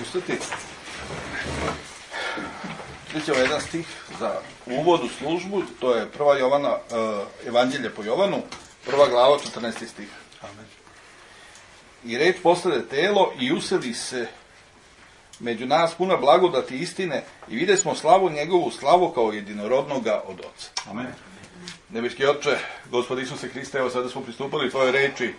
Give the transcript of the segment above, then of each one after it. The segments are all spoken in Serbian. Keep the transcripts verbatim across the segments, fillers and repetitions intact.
ustati. Vidite ovaj jedan stih za uvod u službu, to je prva Jovana, uh, Evanđelje po Jovanu, prva glava, četrnaesti stih. Amen. I reč postade telo i useli se među nas puna blagodati istine i vide smo slavu njegovu, slavu kao jedinorodnoga od Oca. Amen. Nebeski Oče, Gospod Isuse Hriste, evo sada smo pristupali tvojoj reči.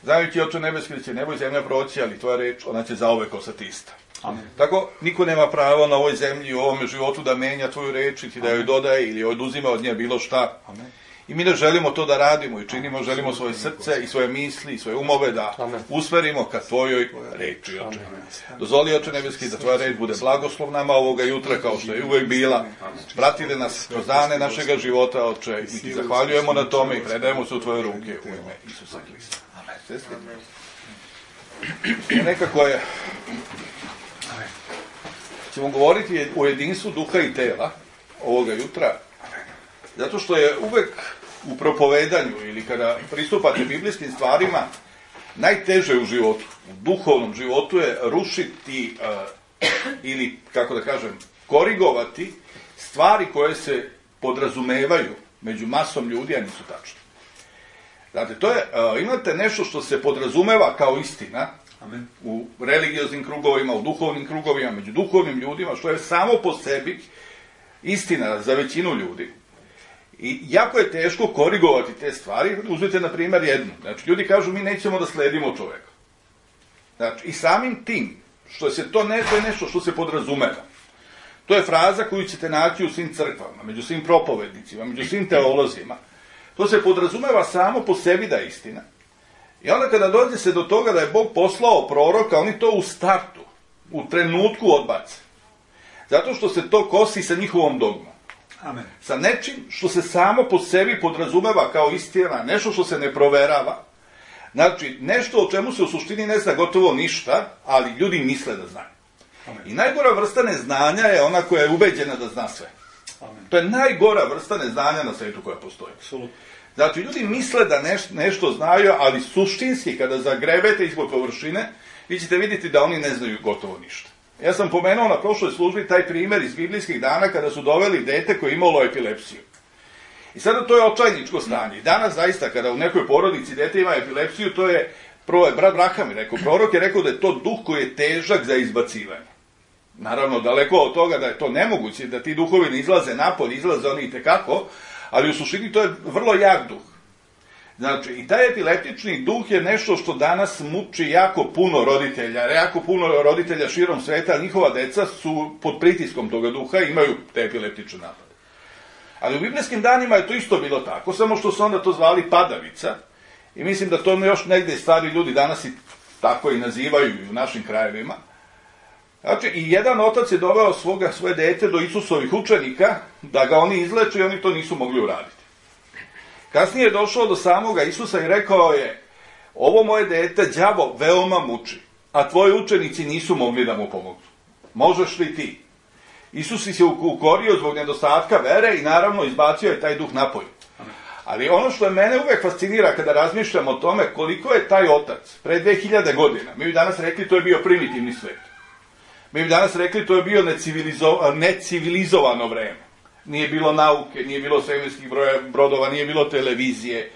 Znajući Oče nebeski da će nebo i zemlja proći, ali tvoja reč, ona će zauvek ostati ista. Amen. Tako, niko nema pravo na ovoj zemlji i u ovome životu da menja tvoju reč i da joj dodaje ili oduzima od nje bilo šta. Amen. I mi ne želimo to da radimo i činimo, želimo svoje srce i svoje misli i svoje umove da Amen. Usmerimo ka tvojoj reči, Oče. Dozvoli, Oče nebeski, da tvoja reč bude blagoslov nama ovoga jutra, kao što je uvek bila. Pratile nas kroz dane našega života, Oče, i ti zahvaljujemo na tome i predajemo se u tvoje ruke u ime Isusa Hrista. Amen. Nekako je, ćemo govoriti o jedinstvu duha i tela ovoga jutra, zato što je uvek u propovedanju ili kada pristupate biblijskim stvarima najteže u životu, u duhovnom životu je rušiti uh, ili, kako da kažem, korigovati stvari koje se podrazumevaju među masom ljudi, a nisu tačne. Znate, to je, uh, imate nešto što se podrazumeva kao istina. Amen. U religioznim krugovima, u duhovnim krugovima, među duhovnim ljudima, što je samo po sebi istina za većinu ljudi. I jako je teško korigovati te stvari. Uzmite, na primjer, jednu. Znači, ljudi kažu, mi nećemo da sledimo čoveka. Znači, i samim tim, što se to ne, to je nešto što se podrazumeva. To je fraza koju ćete naći u svim crkvama, među svim propovednicima, među svim teolozima. To se podrazumeva samo po sebi da je istina. I onda kada dođe se do toga da je Bog poslao proroka, oni to u startu, u trenutku odbace. Zato što se to kosi sa njihovom dogmom. Amen. Sa nečim što se samo po sebi podrazumeva kao istina, nešto što se ne proverava. Znači, nešto o čemu se u suštini ne zna gotovo ništa, ali ljudi misle da znaju. Amen. I najgora vrsta neznanja je ona koja je ubeđena da zna sve. Amen. To je najgora vrsta neznanja na svetu koja postoji. Absolutno. Znači, ljudi misle da neš, nešto znaju, ali suštinski, kada zagrebete ispod površine, vi ćete vidjeti da oni ne znaju gotovo ništa. Ja sam pomenuo na prošloj službi taj primjer iz biblijskih dana kada su doveli dete koje je imalo epilepsiju. I sada to je očajničko stanje. I danas zaista, kada u nekoj porodici dete ima epilepsiju, to je, prvo je brat Braham rekao, prorok je rekao da je to duh koji je težak za izbacivanje. Naravno, daleko od toga da je to nemoguće, da ti duhovi ne izlaze napolje, izlaze oni i tekako, ali u suštini to je vrlo jak duh. Znači, i taj epileptični duh je nešto što danas muči jako puno roditelja, jako puno roditelja širom sveta, ali njihova deca su pod pritiskom toga duha i imaju te epileptične napade. Ali u biblijskim danima je to isto bilo tako, samo što su onda to zvali padavica i mislim da to još negde stari ljudi danas i tako i nazivaju i u našim krajevima. Znači, i jedan otac je doveo svoga, svoje dete do Isusovih učenika da ga oni izleče i oni to nisu mogli uraditi. Kasnije je došao do samoga Isusa i rekao je, ovo moje dete đavo veoma muči, a tvoji učenici nisu mogli da mu pomognu. Možeš li ti? Isus se ukorio zbog nedostatka vere i naravno izbacio je taj duh napolje. Ali ono što me uvek fascinira kada razmišljam o tome koliko je taj otac pre dve hiljade godina, mi bi danas rekli to je bio primitivni svet. Mi bi danas rekli to je bio necivilizo, necivilizovano vreme. Nije bilo nauke, nije bilo svemirskih brodova, nije bilo televizije,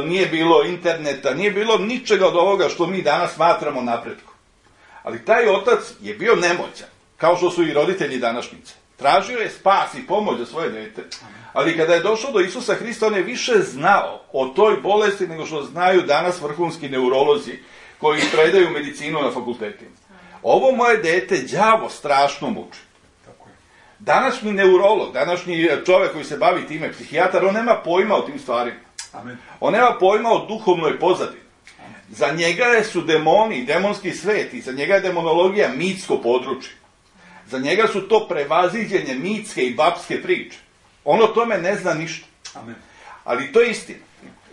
nije bilo interneta, nije bilo ničega od ovoga što mi danas smatramo napretkom. Ali taj otac je bio nemoćan, kao što su i roditelji današnjice. Tražio je spas i pomoć za svoje dete, ali kada je došao do Isusa Hrista, on je više znao o toj bolesti nego što znaju danas vrhunski neurolozi koji predaju medicinu na fakultetima. Ovo moje dete đavo strašno muči. Današnji neurolog, današnji čovjek koji se bavi time, psihijatar, on nema pojma o tim stvarima. Amen. On nema pojma o duhovnoj pozadini. Amen. Za njega su demoni, demonski svet i za njega je demonologija mitsko područje. Za njega su to prevaziđenje mitske i babske priče. On o tome ne zna ništa. Amen. Ali to je istina.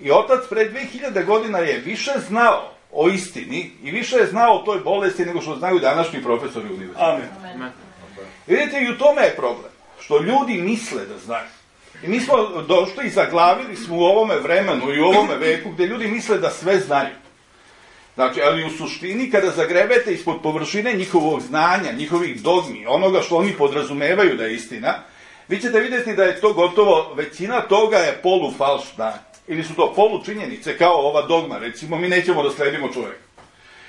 I otac pre dve hiljade godina je više znao o istini i više je znao o toj bolesti nego što znaju današnji profesori univerziteta. Amen. Amen. Vidite, i u tome je problem, što ljudi misle da znaju. I mi smo došli i zaglavili smo u ovome vremenu i u ovome veku gde ljudi misle da sve znaju. Znači, ali u suštini, kada zagrebete ispod površine njihovog znanja, njihovih dogmi, onoga što oni podrazumevaju da je istina, vi ćete vidjeti da je to gotovo, većina toga je polufalšna, ili su to polučinjenice, kao ova dogma, recimo, mi nećemo da sledimo čovjeka.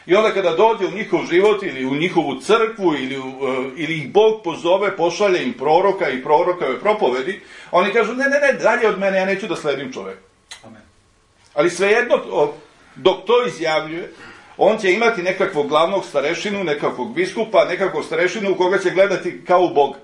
I onda kada dođe u njihov život, ili u njihovu crkvu, ili, u, ili ih Bog pozove, pošalje im proroka i prorokove propovedi, oni kažu, ne, ne, ne, dalje od mene, ja neću da sledim čovjeka. Amen. Ali svejedno, dok to izjavljuje, on će imati nekakvog glavnog starešinu, nekakvog biskupa, nekakvog starešinu u koga će gledati kao u Boga.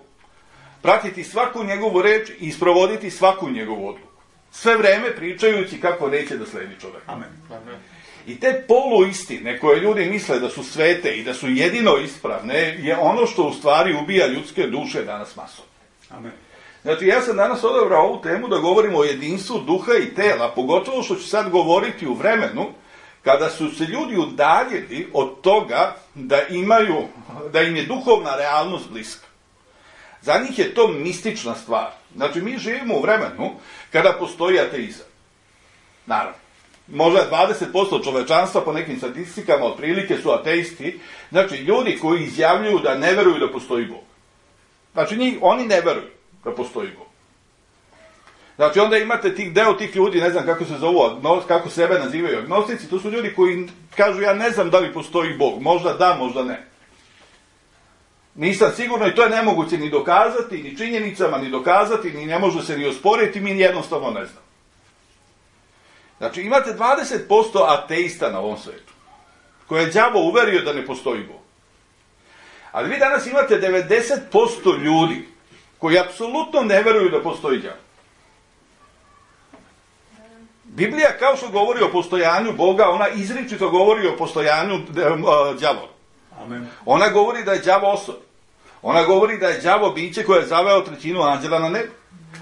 Pratiti svaku njegovu reč i isprovoditi svaku njegovu odluku. Sve vreme pričajući kako neće da sledi čovjek. Amen. Amen. I te poluistine koje ljudi misle da su svete i da su jedino ispravne je ono što u stvari ubija ljudske duše danas masom. Amen. Znači, ja sam danas odabrao ovu temu da govorimo o jedinstvu duha i tela, pogotovo što ću sad govoriti u vremenu kada su se ljudi udaljili od toga da imaju, da im je duhovna realnost bliska. Za njih je to mistična stvar. Znači, mi živimo u vremenu kada postoji ateizam. Naravno. Možda dvadeset posto čovečanstva po nekim statistikama otprilike su ateisti. Znači, ljudi koji izjavljuju da ne veruju da postoji Bog. Znači, njih, oni ne veruju da postoji Bog. Znači, onda imate tih deo tih ljudi, ne znam kako se zovu, kako sebe nazivaju agnostici, to su ljudi koji kažu, ja ne znam da li postoji Bog. Možda da, možda ne. Nisam sigurno i to je nemoguće ni dokazati, ni činjenicama, ni dokazati, ni ne može se ni osporiti, mi jednostavno ne znamo. Znači, imate dvadeset posto ateista na ovom svetu, koje je đavo uverio da ne postoji Bog. Ali vi danas imate devedeset posto ljudi koji apsolutno ne veruju da postoji đavo. Biblija, kao što govori o postojanju Boga, ona izričito govori o postojanju đavola. Amen. Ona govori da je đavo osoba. Ona govori da je đavo biće koje je zaveo trećinu anđela na nebu.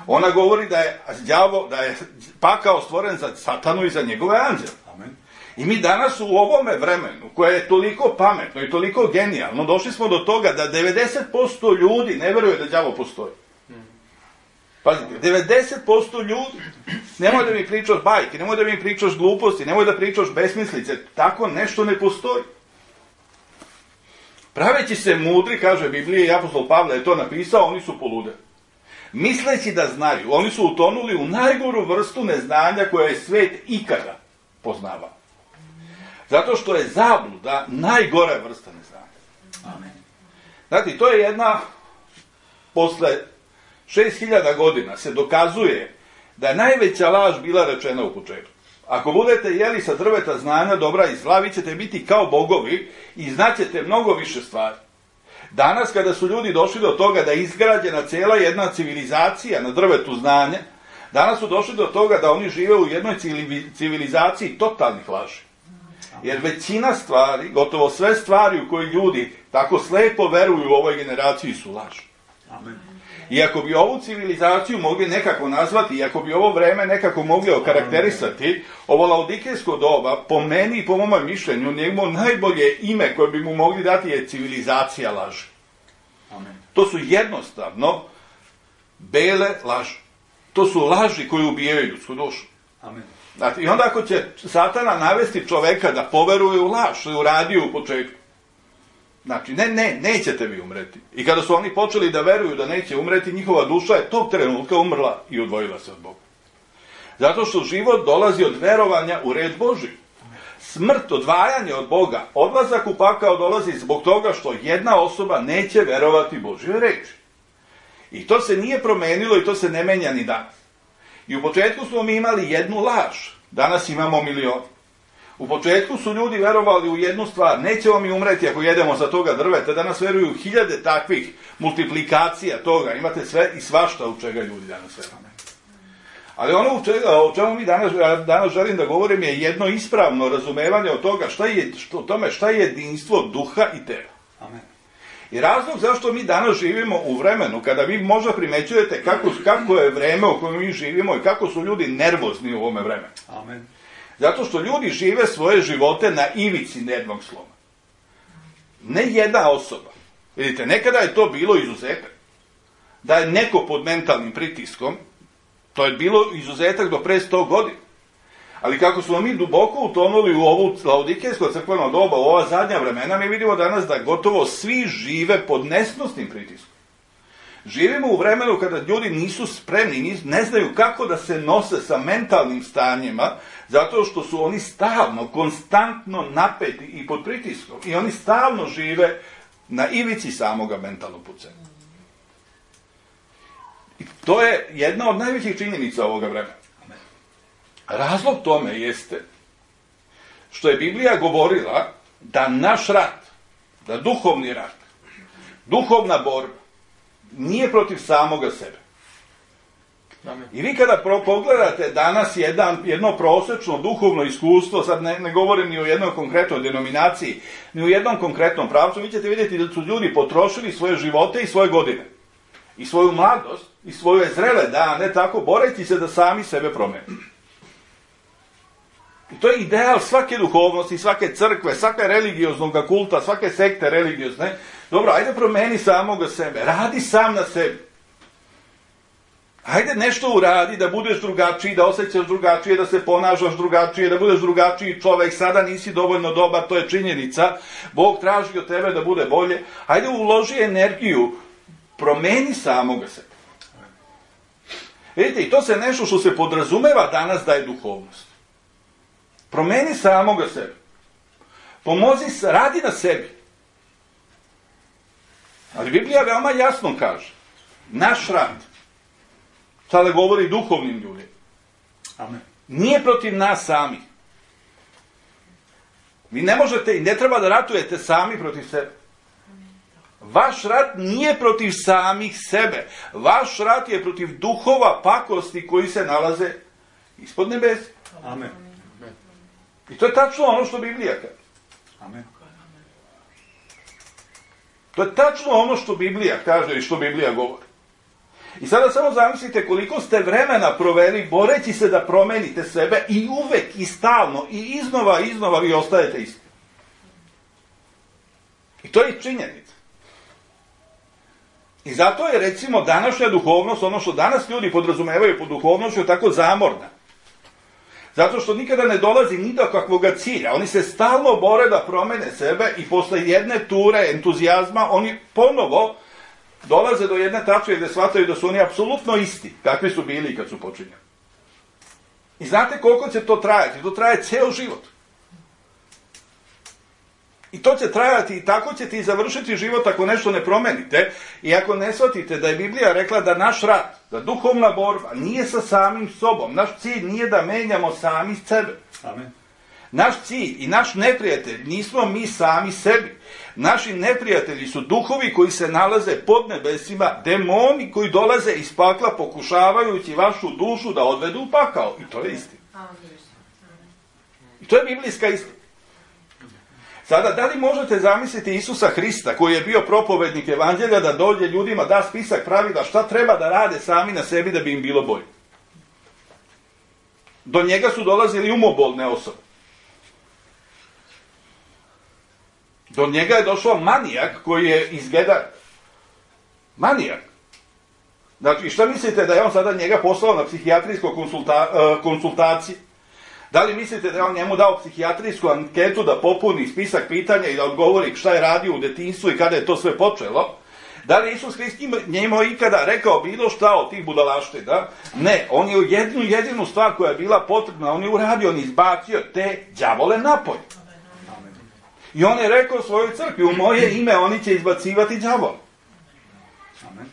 Ona govori da je đavo, da je pakao stvoren za satanu i za njegove anđele. Amen. I mi danas u ovome vremenu, koje je toliko pametno i toliko genijalno, došli smo do toga da devedeset posto ljudi ne veruje da đavo postoji. Pazite, devedeset posto ljudi, nemoj da mi pričaš bajke, nemoj da mi pričaš gluposti, nemoj da pričaš besmislice, tako nešto ne postoji. Praveći se mudri, kaže Biblija, i apostol Pavle je to napisao, oni su poludeli. Misleći da znaju, oni su utonuli u najgoru vrstu neznanja koja je svet ikada poznavao. Zato što je zabluda najgora vrsta neznanja. Amen. Znate, to je jedna, posle šest hiljada godina se dokazuje da je najveća laž bila rečena u početku. Ako budete jeli sa drveta znanja dobra i zla, vi ćete biti kao bogovi i znaćete mnogo više stvari. Danas, kada su ljudi došli do toga da je izgrađena cijela jedna civilizacija na drvetu znanja, danas su došli do toga da oni žive u jednoj civilizaciji totalnih laži. Jer većina stvari, gotovo sve stvari u koje ljudi tako slepo veruju u ovoj generaciji su laži. Amen. I ako bi ovu civilizaciju mogli nekako nazvati, i ako bi ovo vreme nekako mogli okarakterisati, ovo laodikejsko doba, po meni i po mom mišljenju, njegovo najbolje ime koje bi mu mogli dati je civilizacija laži. Amen. To su jednostavno bele laži. To su laži koje ubijaju ljudsku dušu. Amen. Znači, i onda ako će Satana navesti čoveka da poveruje u laž, što je uradio u početku, znači, ne, ne, nećete vi umreti. I kada su oni počeli da veruju da neće umreti, njihova duša je tog trenutka umrla i odvojila se od Boga. Zato što život dolazi od verovanja u red Božji. Smrt, odvajanje od Boga, odlazak u pakao dolazi zbog toga što jedna osoba neće verovati Božjoj reči. I to se nije promenilo i to se ne menja ni danas. I u početku smo mi imali jednu laž, danas imamo milion. U početku su ljudi verovali u jednu stvar, nećemo mi umreti ako jedemo za toga drveta, danas veruju u hiljade takvih multiplikacija toga, imate sve i svašta u čega ljudi danas veruju. Ali ono u čega, o čemu mi danas, danas želim da govorim je jedno ispravno razumevanje od toga šta je, što, tome šta je jedinstvo duha i tela. Amen. I razlog zašto mi danas živimo u vremenu, kada vi možda primećujete kako, kako je vreme u kojem mi živimo i kako su ljudi nervozni u ovome vremenu. Amen. Zato što ljudi žive svoje živote na ivici nervnog sloma. Ne jedna osoba. Vidite, nekada je to bilo izuzetak. Da je neko pod mentalnim pritiskom, to je bilo izuzetak do pre sto godina. Ali kako smo mi duboko utonuli u ovu laodikejsko crkveno doba, u ova zadnja vremena, mi vidimo danas da gotovo svi žive pod nesnosnim pritiskom. Živimo u vremenu kada ljudi nisu spremni, ne znaju kako da se nose sa mentalnim stanjima, zato što su oni stalno, konstantno napeti i pod pritiskom. I oni stalno žive na ivici samoga mentalnog pucanja. I to je jedna od najvećih činjenica ovoga vremena. Razlog tome jeste što je Biblija govorila da naš rat, da duhovni rat, duhovna borba, nije protiv samoga sebe. Amen. I vi kada pogledate danas jedan, jedno prosečno duhovno iskustvo, sad ne, ne govorim ni o jednoj konkretnoj denominaciji, ni u jednom konkretnom pravcu, vi ćete vidjeti da su ljudi potrošili svoje živote i svoje godine. I svoju mladost, i svoje zrele dane, tako boreći se da sami sebe promene. I to je ideal svake duhovnosti, svake crkve, svake religioznog kulta, svake sekte religiozne. Dobro, ajde promeni samoga sebe, radi sam na sebi. Ajde nešto uradi da budeš drugačiji, da osjećaš drugačije, da se ponašaš drugačije, da budeš drugačiji čovek, sada nisi dovoljno dobar, to je činjenica. Bog traži od tebe da bude bolje. Ajde uloži energiju, promeni samoga sebe. Vidite, i to se nešto što se podrazumeva danas da je duhovnost. Promeni samoga sebe. Pomozi, radi na sebi. Ali Biblija veoma jasno kaže, naš rad, sada govori duhovnim ljudima, Amen. Nije protiv nas samih. Vi ne možete i ne treba da ratujete sami protiv sebe. Vaš rat nije protiv samih sebe. Vaš rat je protiv duhova pakosti koji se nalaze ispod nebesa. Amen. I to je tačno ono što Biblija kaže. Amen. To je tačno ono što Biblija kaže i što Biblija govori. I sada samo zamislite koliko ste vremena proveli boreći se da promenite sebe i uvek i stalno i iznova i iznova vi ostajete isti. I to je činjenica. I zato je recimo današnja duhovnost, ono što danas ljudi podrazumevaju pod duhovnošću, tako zamorna. Zato što nikada ne dolazi ni do kakvog cilja. Oni se stalno bore da promene sebe i posle jedne ture entuzijazma oni ponovo dolaze do jedne tačke gde shvataju da su oni apsolutno isti, kakvi su bili kad su počinjali. I znate koliko će to trajati? To traje ceo život. I to će trajati i tako ćete i završiti život ako nešto ne promenite i ako ne shvatite da je Biblija rekla da naš rat, da duhovna borba nije sa samim sobom. Naš cilj nije da menjamo sami sebe. Amen. Naš cilj i naš neprijatelj nismo mi sami sebi. Naši neprijatelji su duhovi koji se nalaze pod nebesima, demoni koji dolaze iz pakla pokušavajući vašu dušu da odvedu u pakao. I to je istina. I to je biblijska istina. Sada, da li možete zamisliti Isusa Hrista, koji je bio propovednik evanđelja, da dođe ljudima, da spisak pravila šta treba da rade sami na sebi da bi im bilo bolje? Do njega su dolazili umobolne osobe. Do njega je došao manijak koji je izgledar. Manijak. Znači, šta mislite da je on sada njega poslao na psihijatrijsko konsulta, uh, konsultacije? Da li mislite da je on njemu dao psihijatrijsku anketu da popuni spisak pitanja i da odgovori šta je radio u detinjstvu i kada je to sve počelo? Da li Isus Hrist njemu ikada rekao bilo šta od tih budalaština? Ne, on je jednu jedinu stvar koja je bila potrebna, on je uradio, on izbacio te đavole napolje. I on je rekao svojoj crkvi, u moje ime oni će izbacivati đavole.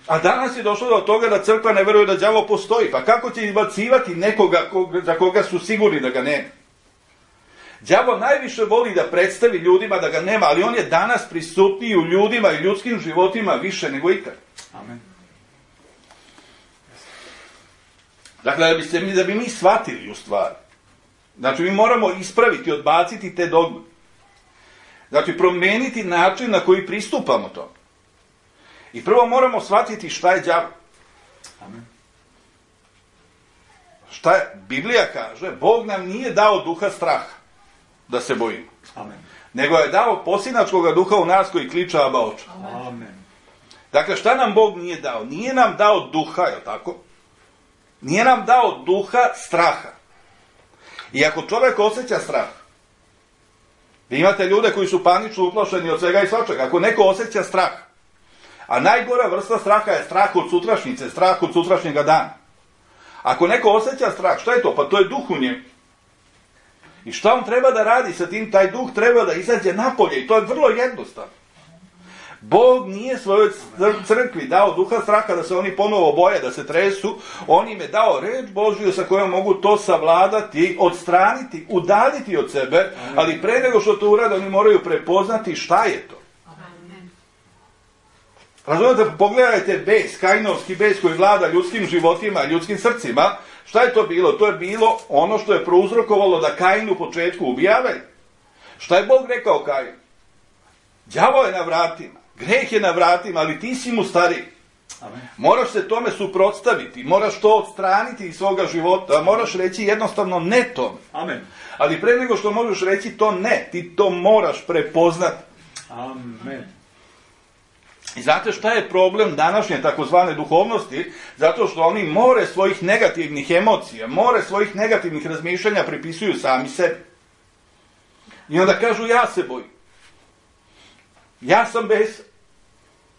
A danas je došlo do toga da crkva ne veruje da đavo postoji. Pa kako će izbacivati nekoga za koga su sigurni da ga nema? Đavo najviše voli da predstavi ljudima da ga nema, ali on je danas prisutniji u ljudima i ljudskim životima više nego ikad. Amen. Dakle, da bi, se, da bi mi shvatili u stvari. Znači, mi moramo ispraviti, odbaciti te dogme. Znači, promeniti način na koji pristupamo to. I prvo moramo shvatiti šta je đavo. Amen. Šta je? Biblija kaže, Bog nam nije dao duha straha da se bojimo. Amen. Nego je dao posinačkog duha u nas koji kliča Aba Oče. Amen. Dakle, šta nam Bog nije dao? Nije nam dao duha, je li tako? Nije nam dao duha straha. I ako čovjek osjeća strah, vi imate ljude koji su panično uplašeni od svega i svačega, ako neko osjeća strah, a najgora vrsta straha je strah od sutrašnjice, strah od sutrašnjega dana. Ako neko osjeća strah, šta je to? Pa to je duh u njemu. I šta on treba da radi sa tim? Taj duh treba da izađe napolje i to je vrlo jednostavno. Bog nije svojoj crkvi dao duha straha da se oni ponovo boje, da se tresu. On im je dao reč Božju sa kojom mogu to savladati, odstraniti, udaljiti od sebe, ali pre nego što to urade, oni moraju prepoznati šta je to. Razumete, pogledajte bes, kainovski bes koji vlada ljudskim životima, ljudskim srcima. Šta je to bilo? To je bilo ono što je prouzrokovalo da Kain u početku ubija Abelja. Šta je Bog rekao Kainu? Đavo je na vratima, greh je na vratima, ali ti si mu stariji. Amen. Moraš se tome suprotstaviti, moraš to odstraniti iz svoga života, moraš reći jednostavno ne tome. Amen. Ali pre nego što možeš reći to ne, ti to moraš prepoznati. Amen. I znate šta je problem današnje takozvane duhovnosti? Zato što oni more svojih negativnih emocija, more svojih negativnih razmišljanja pripisuju sami sebi. I onda kažu ja se bojim. Ja sam besan.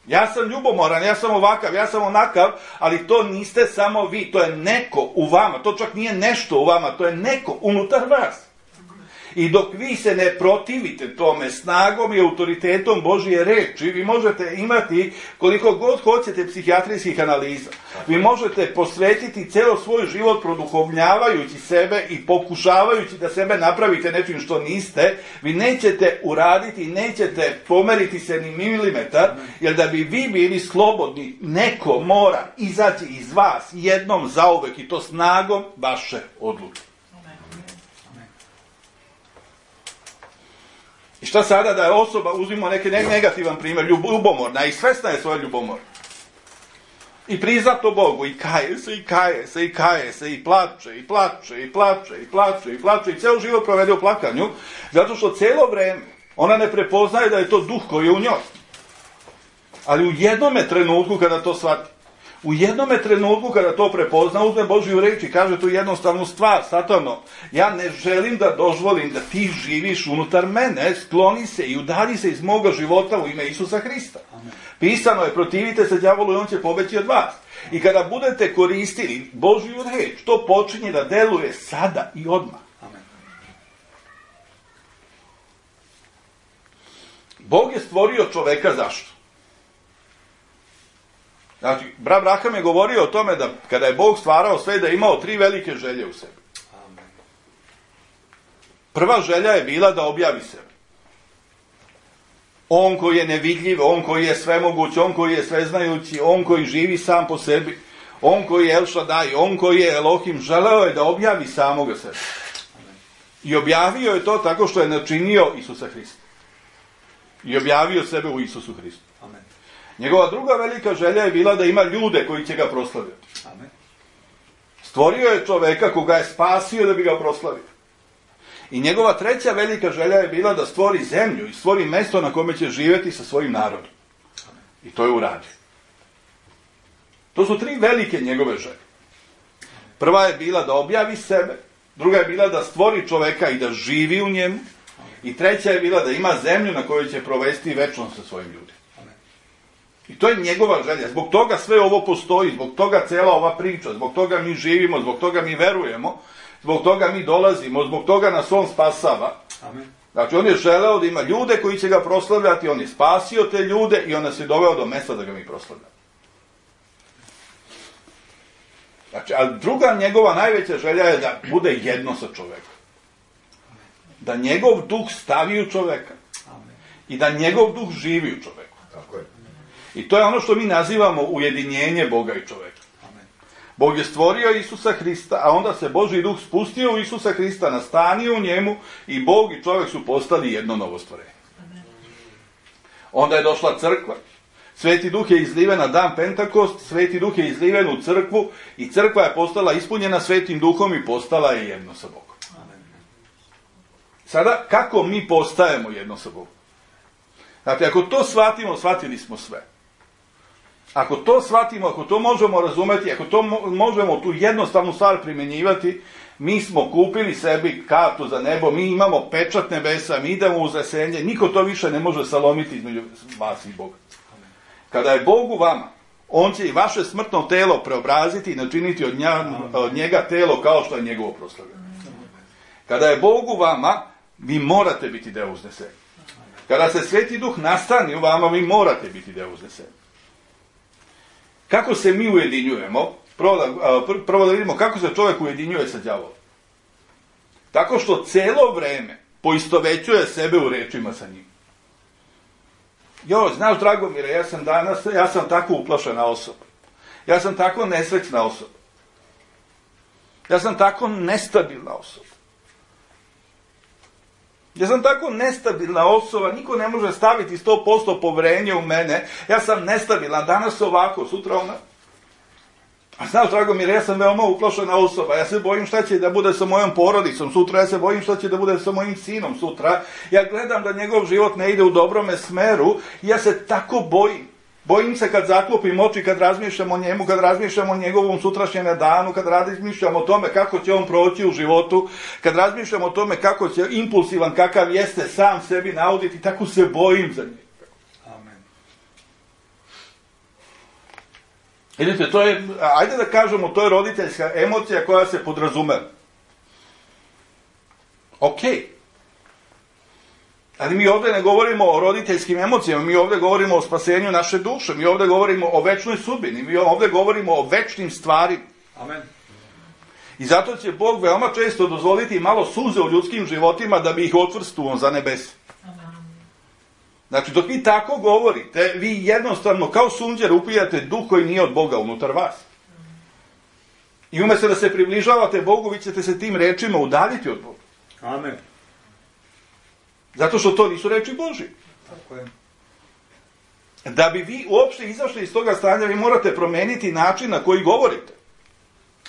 Ja sam ljubomoran, ja sam ovakav, ja sam onakav, ali to niste samo vi, to je neko u vama, to čak nije nešto u vama, to je neko unutar vas. I dok vi se ne protivite tome snagom i autoritetom Božje reči, vi možete imati koliko god hoćete psihijatrijskih analiza. Vi možete posvetiti celo svoj život produhovljavajući sebe i pokušavajući da sebe napravite nečim što niste. Vi nećete uraditi, nećete pomeriti se ni milimetar, jer da bi vi bili slobodni, neko mora izaći iz vas jednom zauvek i to snagom vaše odluke. I šta sada da je osoba, uzmimo neki negativan primjer, ljubomorna i svesna je svoje ljubomor. I prizna to Bogu, i kaje se, i kaje se, i kaje se, i plače, i plače, i plače, i plače, i plače, i ceo život provede u plakanju, zato što celo vreme ona ne prepoznaje da je to duh koji je u njoj. Ali u jednome trenutku kada to shvati, u jednome trenutku kada to prepozna, uzme Božju reč i kaže tu jednostavnu stvar, Satano, ja ne želim da dozvolim da ti živiš unutar mene, skloni se i udalji se iz moga života u ime Isusa Hrista. Amen. Pisano je, protivite se đavolu i on će pobeći od vas. I kada budete koristili Božju reč, to počinje da deluje sada i odmah. Amen. Bog je stvorio čoveka zašto? Znači, brat Braham je govorio o tome da kada je Bog stvarao sve, da je imao tri velike želje u sebi. Prva želja je bila da objavi sebe. On koji je nevidljiv, on koji je svemoguć, on koji je sveznajući, on koji živi sam po sebi, on koji je El Shaddai, on koji je Elohim, želeo je da objavi samoga sebe. I objavio je to tako što je načinio Isusa Hrista. I objavio sebe u Isusu Hristu. Amen. Njegova druga velika želja je bila da ima ljude koji će ga proslaviti. Amen. Stvorio je čoveka koga je spasio da bi ga proslavio. I njegova treća velika želja je bila da stvori zemlju i stvori mesto na kome će živjeti sa svojim narodom. Amen. I to je uradio. To su tri velike njegove želje. Prva je bila da objavi sebe, druga je bila da stvori čoveka i da živi u njemu, i treća je bila da ima zemlju na kojoj će provesti večnost sa svojim ljudima. I to je njegova želja. Zbog toga sve ovo postoji, zbog toga cela ova priča, zbog toga mi živimo, zbog toga mi verujemo, zbog toga mi dolazimo, zbog toga nas on spasava. Amen. Znači, on je želeo da ima ljude koji će ga proslavljati, on je spasio te ljude i on nas je doveo do mesta da ga mi proslavljamo. Znači, a druga njegova najveća želja je da bude jedno sa čovekom. Da njegov duh stavi u čoveka. Amen. I da njegov duh živi u čoveku. Tako je. I to je ono što mi nazivamo ujedinjenje Boga i čoveka. Amen. Bog je stvorio Isusa Hrista, a onda se Božji duh spustio u Isusa Hrista, nastanio u njemu i Bog i čovek su postali jedno novo stvorenje. Amen. Onda je došla crkva. Sveti duh je izliven na dan Pentakost, Sveti duh je izliven u crkvu i crkva je postala ispunjena Svetim duhom i postala je jedno sa Bogom. Amen. Sada, kako mi postajemo jedno sa Bogom? Znači, ako to shvatimo, shvatili smo sve. Ako to shvatimo, ako to možemo razumeti, ako to mo- možemo tu jednostavnu stvar primjenjivati, mi smo kupili sebi kartu za nebo, mi imamo pečat nebesa, mi idemo u uznesenje, niko to više ne može salomiti između vas i Boga. Kada je Bog u vama, on će i vaše smrtno telo preobraziti i načiniti od, nja, od njega telo kao što je njegovo proslavljeno. Kada je Bog u vama, vi morate biti deo uznesenja. Kada se Sveti Duh nastani u vama, vi morate biti deo uznesenja. Kako se mi ujedinjujemo? Prvo da, prvo da vidimo kako se čovjek ujedinjuje sa đavolom. Tako što celo vreme poistovećuje sebe u rečima sa njim. Jo, znaš, Dragomire, ja sam danas, ja sam tako uplašena osoba. Ja sam tako nesrećna osoba. Ja sam tako nestabilna osoba. Ja sam tako nestabilna osoba, niko ne može staviti sto posto poverenje u mene. Ja sam nestabilna, danas ovako, sutra ona. A znaš, Dragomire, ja sam veoma uplašena osoba, ja se bojim šta će da bude sa mojom porodicom sutra, ja se bojim šta će da bude sa mojim sinom sutra, ja gledam da njegov život ne ide u dobrome smeru i ja se tako bojim. Bojim se kad zaklopim oči, kad razmišljam o njemu, kad razmišljam o njegovom sutrašnjem danu, kad razmišljam o tome kako će on proći u životu, kad razmišljam o tome kako će impulsivan, kakav jeste, sam sebi nauditi, tako se bojim za njega. Vidite, to je, ajde da kažemo, to je roditeljska emocija koja se podrazume. Ok. Ali mi ovdje ne govorimo o roditeljskim emocijama, mi ovdje govorimo o spasenju naše duše, mi ovdje govorimo o večnoj sudbini, mi ovdje govorimo o večnim stvarima. Amen. I zato će Bog veoma često dozvoliti malo suze u ljudskim životima da bi ih otvrstuo za nebesa. Znači, dok vi tako govorite, vi jednostavno kao sunđer upijate duh koji nije od Boga unutar vas. I umjesto da se približavate Bogu, vi ćete se tim rečima udaljiti od Boga. Amen. Zato što to nisu reči Božje. Tako je. Da bi vi uopšte izašli iz toga stanja, vi morate promeniti način na koji govorite.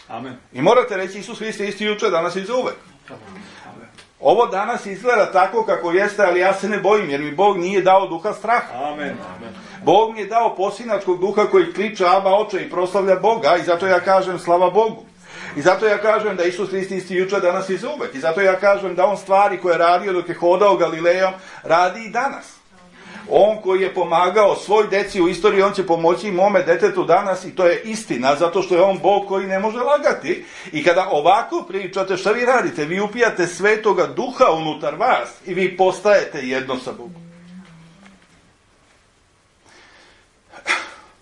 Amen. I morate reći, Isus Hriste isti juče, danas i za uvek. Ovo danas izgleda tako kako jeste, ali ja se ne bojim, jer mi Bog nije dao duha straha. Amen. Bog mi je dao posinačkog duha koji kliče Aba Oče i proslavlja Boga, i zato ja kažem slava Bogu. I zato ja kažem da Isus Hrist isti juče, danas i za uvek. I zato ja kažem da on stvari koje je radio dok je hodao Galilejom, radi i danas. On koji je pomagao svoj deci u istoriji, on će pomoći i mome detetu danas, i to je istina, zato što je on Bog koji ne može lagati. I kada ovako pričate, šta vi radite? Vi upijate Svetoga Duha unutar vas i vi postajete jedno sa Bogom.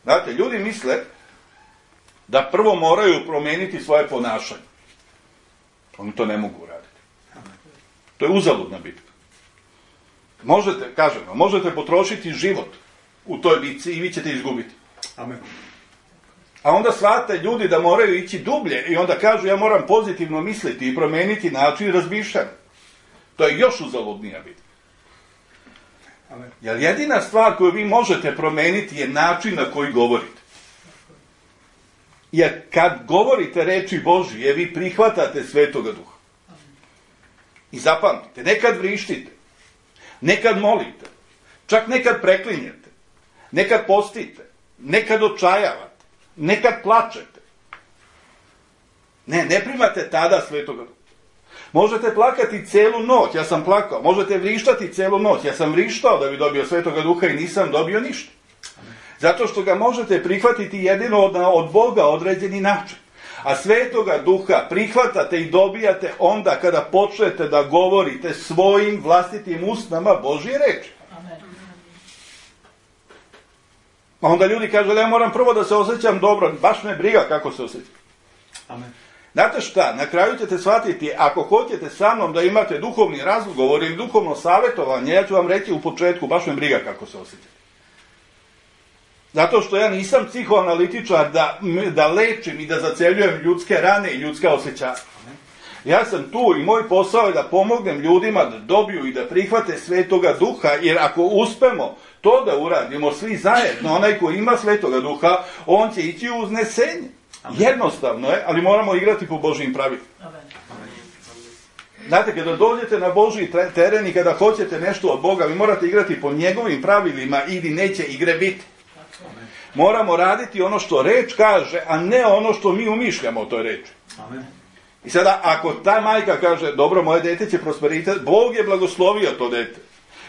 Znate, ljudi misle da prvo moraju promeniti svoje ponašanje. Oni to ne mogu uraditi. To je uzaludna bitka. Možete, kažem, možete potrošiti život u toj bitci i vi ćete izgubiti. Amen. A onda shvate ljudi da moraju ići dublje i onda kažu ja moram pozitivno misliti i promeniti način razmišljanja. To je još uzaludnija bitka. Amen. Jer jedina stvar koju vi možete promeniti je način na koji govorite. Jer kad govorite reči Božije, vi prihvatate Svetoga Duha. I zapamtite, nekad vrištite, nekad molite, čak nekad preklinjete, nekad postite, nekad očajavate, nekad plačete. Ne, ne primate tada Svetoga Duha. Možete plakati celu noć, ja sam plakao, možete vrištati celu noć, ja sam vrištao da bi dobio Svetoga Duha i nisam dobio ništa. Zato što ga možete prihvatiti jedino od, od Boga određeni način. A Svetoga Duha prihvatate i dobijate onda kada počnete da govorite svojim vlastitim usnama Božje reči. A onda ljudi kažu, ja moram prvo da se osjećam dobro, baš me briga kako se osjećam. Amen. Znate šta, na kraju ćete shvatiti, ako hoćete sa mnom da imate duhovni razgovor ili duhovno savjetovanje, ja ću vam reći u početku, baš me briga kako se osjećate. Zato što ja nisam psihoanalitičar da, da lečim i da zaceljujem ljudske rane i ljudska osjećanja. Ja sam tu i moj posao je da pomognem ljudima da dobiju i da prihvate Svetoga Duha, jer ako uspemo to da uradimo svi zajedno, onaj ko ima Svetoga Duha, on će ići u uznesenje. Jednostavno je, ali moramo igrati po Božjim pravilima. Znate, kada dođete na Božji teren i kada hoćete nešto od Boga, vi morate igrati po njegovim pravilima ili neće igre biti. Moramo raditi ono što reč kaže, a ne ono što mi umišljamo o toj reči. Amen. I sada, ako ta majka kaže, dobro, moje dete će prosperitet, Bog je blagoslovio to dete.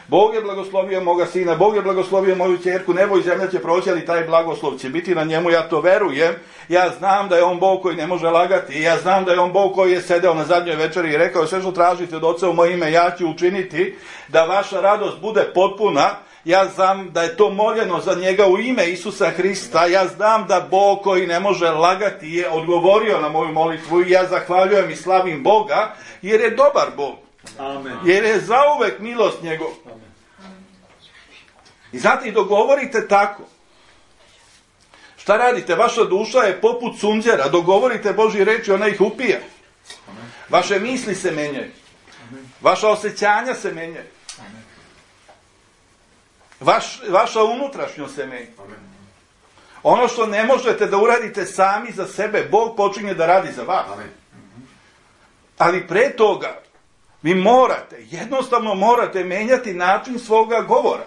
Bog je blagoslovio moga sina, Bog je blagoslovio moju ćerku, nebo i zemlja će proći, ali taj blagoslov će biti na njemu, ja to verujem. Ja znam da je on Bog koji ne može lagati, ja znam da je on Bog koji je sedeo na zadnjoj večeri i rekao, sve što tražite od Oca u moje ime, ja ću učiniti da vaša radost bude potpuna. Ja znam da je to moljeno za njega u ime Isusa Hrista. Ja znam da Bog koji ne može lagati je odgovorio na moju molitvu i ja zahvaljujem i slavim Boga jer je dobar Bog. Amen. Jer je zauvek milost njegov. I znate, i dogovorite tako. Šta radite? Vaša duša je poput sunđera. Dogovorite Božji reči, ona ih upija. Vaše misli se menjaju. Vaša osjećanja se menjaju. Vaš, vaša unutrašnjost se menja. Ono što ne možete da uradite sami za sebe, Bog počinje da radi za vas. Ali pre toga, vi morate, jednostavno morate menjati način svoga govora.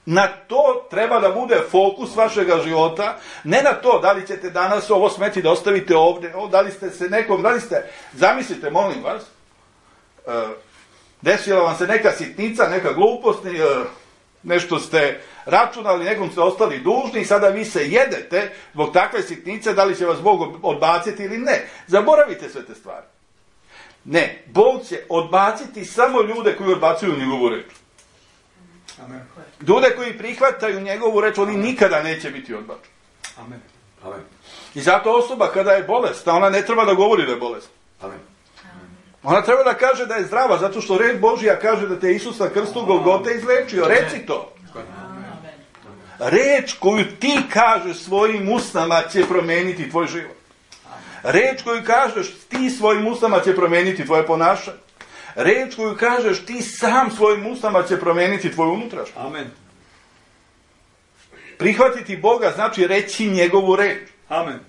Na to treba da bude fokus vašega života, ne na to da li ćete danas ovo smeti da ostavite ovdje, da li ste se nekom, da li ste, zamislite, molim vas, uh, desila vam se neka sitnica, neka glupost, uh, nešto ste računali, nekom ste ostali dužni i sada vi se jedete zbog takve sitnice, da li će vas Bog odbaciti ili ne. Zaboravite sve te stvari. Ne, Bog će odbaciti samo ljude koji odbacuju njegovu reč. Amen. Ljude koji prihvataju njegovu reč, oni nikada neće biti odbačeni. Amen. Amen. I zato osoba kada je bolesna, ona ne treba da govori da je bolesna. Amen. Ona treba da kaže da je zdrava, zato što reč Božja kaže da te Isus na krstu Golgote izlečio. Reci to. Reč koju ti kažeš svojim usnama će promeniti tvoj život. Reč koju kažeš ti svojim usnama će promeniti tvoje ponašanje. Reč koju kažeš ti sam svojim usnama će promeniti tvoju unutrašnjost. Amen. Prihvatiti Boga znači reći njegovu reč. Amen.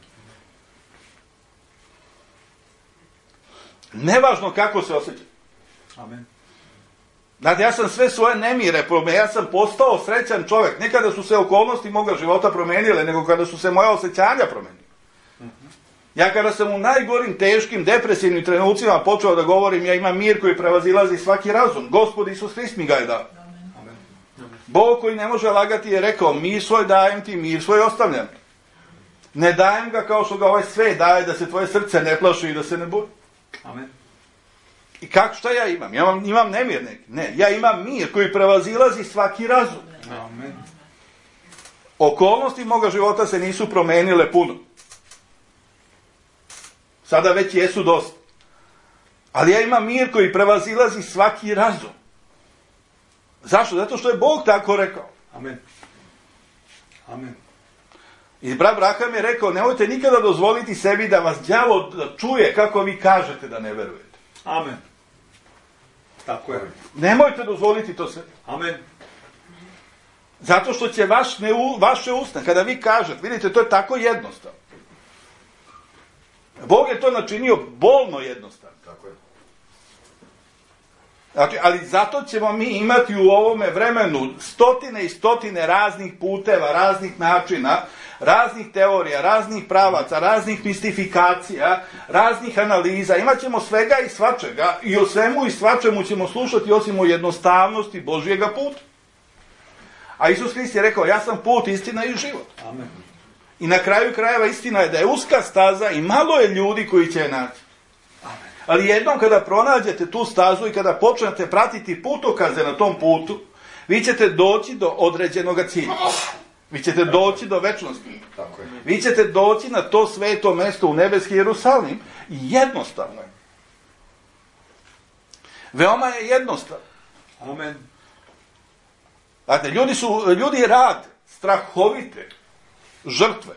Nevažno kako se osjeća. Amen. Znate, ja sam sve svoje nemire, ja sam postao srećan čovjek. Ne kada su se okolnosti moga života promenile, nego kada su se moja osjećanja promenile. Ja kada sam u najgorim, teškim, depresivnim trenucima počeo da govorim, ja imam mir koji prevazilazi svaki razum. Gospod Isus Hrist mi ga je dao. Amen. Bog koji ne može lagati je rekao, mir svoj dajem ti, mir svoj ostavljam ti. Ne dajem ga kao što ga ovaj sve daje, da se tvoje srce ne plaši i da se ne boji. Amen. I kako, šta ja imam? Ja imam, imam nemir neki. Ne, ja imam mir koji prevazilazi svaki razum. Amen. Okolnosti moga života se nisu promenile puno. Sada već jesu dosta. Ali ja imam mir koji prevazilazi svaki razum. Zašto? Zato što je Bog tako rekao. Amen. Amen. I brat Braham je rekao, nemojte nikada dozvoliti sebi da vas đavo čuje kako vi kažete da ne verujete. Amen. Tako je. Nemojte dozvoliti to sebi. Amen. Zato što će vaš ne, vaše usne, kada vi kažete, vidite, to je tako jednostavno. Bog je to načinio bolno jednostavno. Tako je. Znači, ali zato ćemo mi imati u ovome vremenu stotine i stotine raznih puteva, raznih načina, raznih teorija, raznih pravaca, raznih mistifikacija, raznih analiza. Imaćemo svega i svačega i o svemu i svačemu ćemo slušati osim o jednostavnosti Božjega puta. A Isus Hrist je rekao, ja sam put, istina i život. Amen. I na kraju krajeva istina je da je uska staza i malo je ljudi koji će je naći. Ali jednom kada pronađete tu stazu i kada počnete pratiti putokaze na tom putu, vi ćete doći do određenog cilja. Vi ćete doći do večnosti. Tako je. Vi ćete doći na to sveto mesto u nebeski Jerusalim i jednostavno je. Veoma je jednostavno. Amen. Znate, ljudi, su, ljudi rade strahovite žrtve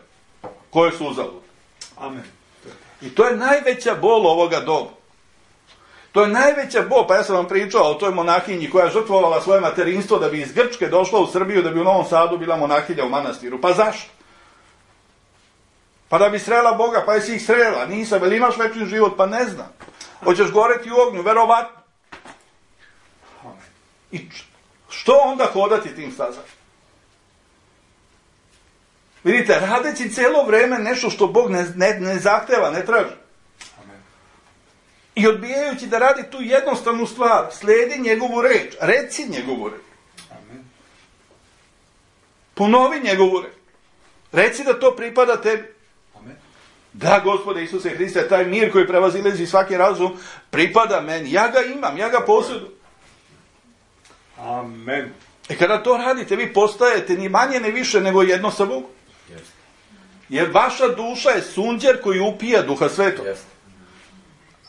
koje su uzalud. Amen. I to je najveća bol ovoga doba. To je najveća bol, pa ja sam vam pričao o toj monahinji koja je žrtvovala svoje materinstvo da bi iz Grčke došla u Srbiju, da bi u Novom Sadu bila monahinja u manastiru. Pa zašto? Pa da bi srela Boga, pa jesi ih srela, nisam, ili imaš večni život, pa ne znam. Hoćeš goreti u ognju, verovatno. I što onda hodati tim stazama? Vidite, radeći cijelo vreme nešto što Bog ne, ne, ne zahteva, ne traži. I odbijajući da radi tu jednostavnu stvar, slijedi njegovu reč, reci njegovu reč. Amen. Ponovi njegovu reč. Reci da to pripada tebi. Amen. Da, Gospode Isuse Hriste, taj mir koji prevazilazi svaki razum pripada meni. Ja ga imam, ja ga posjedujem. Amen. E kada to radite, vi postajete ni manje ni više nego jedno sa Bogom. Jer vaša duša je sunđer koji upija Duha Svetog.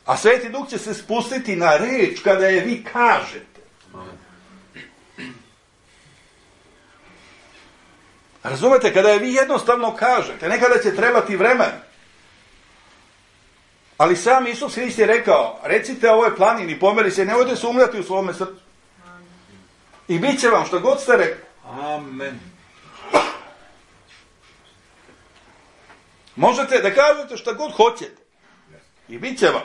A Sveti Duh će se spustiti na reč kada je vi kažete. Razumete, kada je vi jednostavno kažete, nekada će trebati vremena. Ali sam Isus Hrist je rekao, recite ovoj planini, pomeri se, nemojte sumnjati u svome srcu. I bit će vam što god ste rekli. Amen. Možete da kažete što god hoćete. I bit će vam.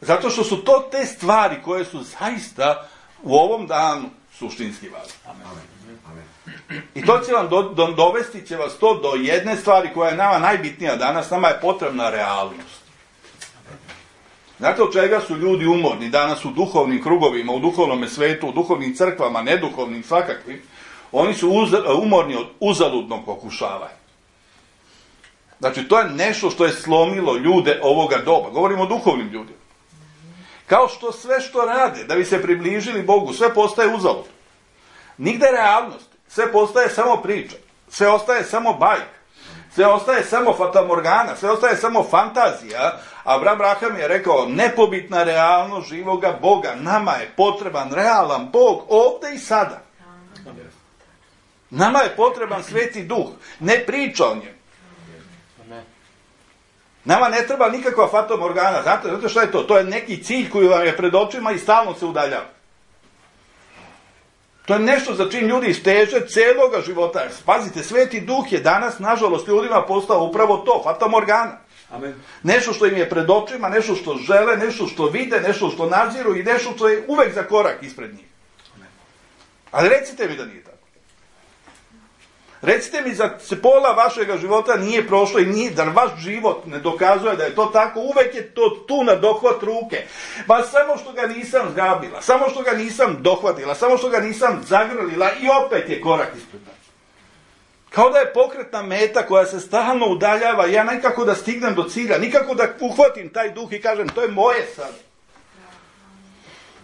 Zato što su to te stvari koje su zaista u ovom danu suštinski važne. I to će vam do, do, dovesti će vas to do jedne stvari koja je nama najbitnija danas, nama je potrebna realnost. Znate od čega su ljudi umorni danas u duhovnim krugovima, u duhovnom svetu, u duhovnim crkvama, neduhovnim svakakvim? Oni su uz, umorni od uzaludnog pokušavanja. Znači to je nešto što je slomilo ljude ovoga doba. Govorimo o duhovnim ljudima. Kao što sve što rade da bi se približili Bogu, sve postaje uzalud. Nigde realnost. Sve postaje samo priča. Sve ostaje samo bajka. Sve ostaje samo fatamorgana. Sve ostaje samo fantazija. Abraham Braham je rekao, nepobitna realnost živoga Boga. Nama je potreban realan Bog ovdje i sada. Nama je potreban Sveti Duh. Ne priča o njemu. Nama ne treba nikakva fatamorgana. Znate, znate šta je to? To je neki cilj koji vam je pred očima i stalno se udaljava. To je nešto za čim ljudi steže celoga života. Pazite, Sveti Duh je danas, nažalost, ljudima postao upravo to, fatamorgana. Amen. Nešto što im je pred očima, nešto što žele, nešto što vide, nešto što nadziru i nešto što je uvek za korak ispred njih. Amen. Ali recite mi da nije tako. Recite mi da se pola vašega života nije prošlo i nije, da vaš život ne dokazuje da je to tako, uvek je to tu na dohvat ruke. Ba samo što ga nisam zgrabila, samo što ga nisam dohvatila, samo što ga nisam zagrlila i opet je korak ispred nas. Kao da je pokretna meta koja se stalno udaljava, ja nikako da stignem do cilja, nikako da uhvatim taj duh i kažem to je moje sad.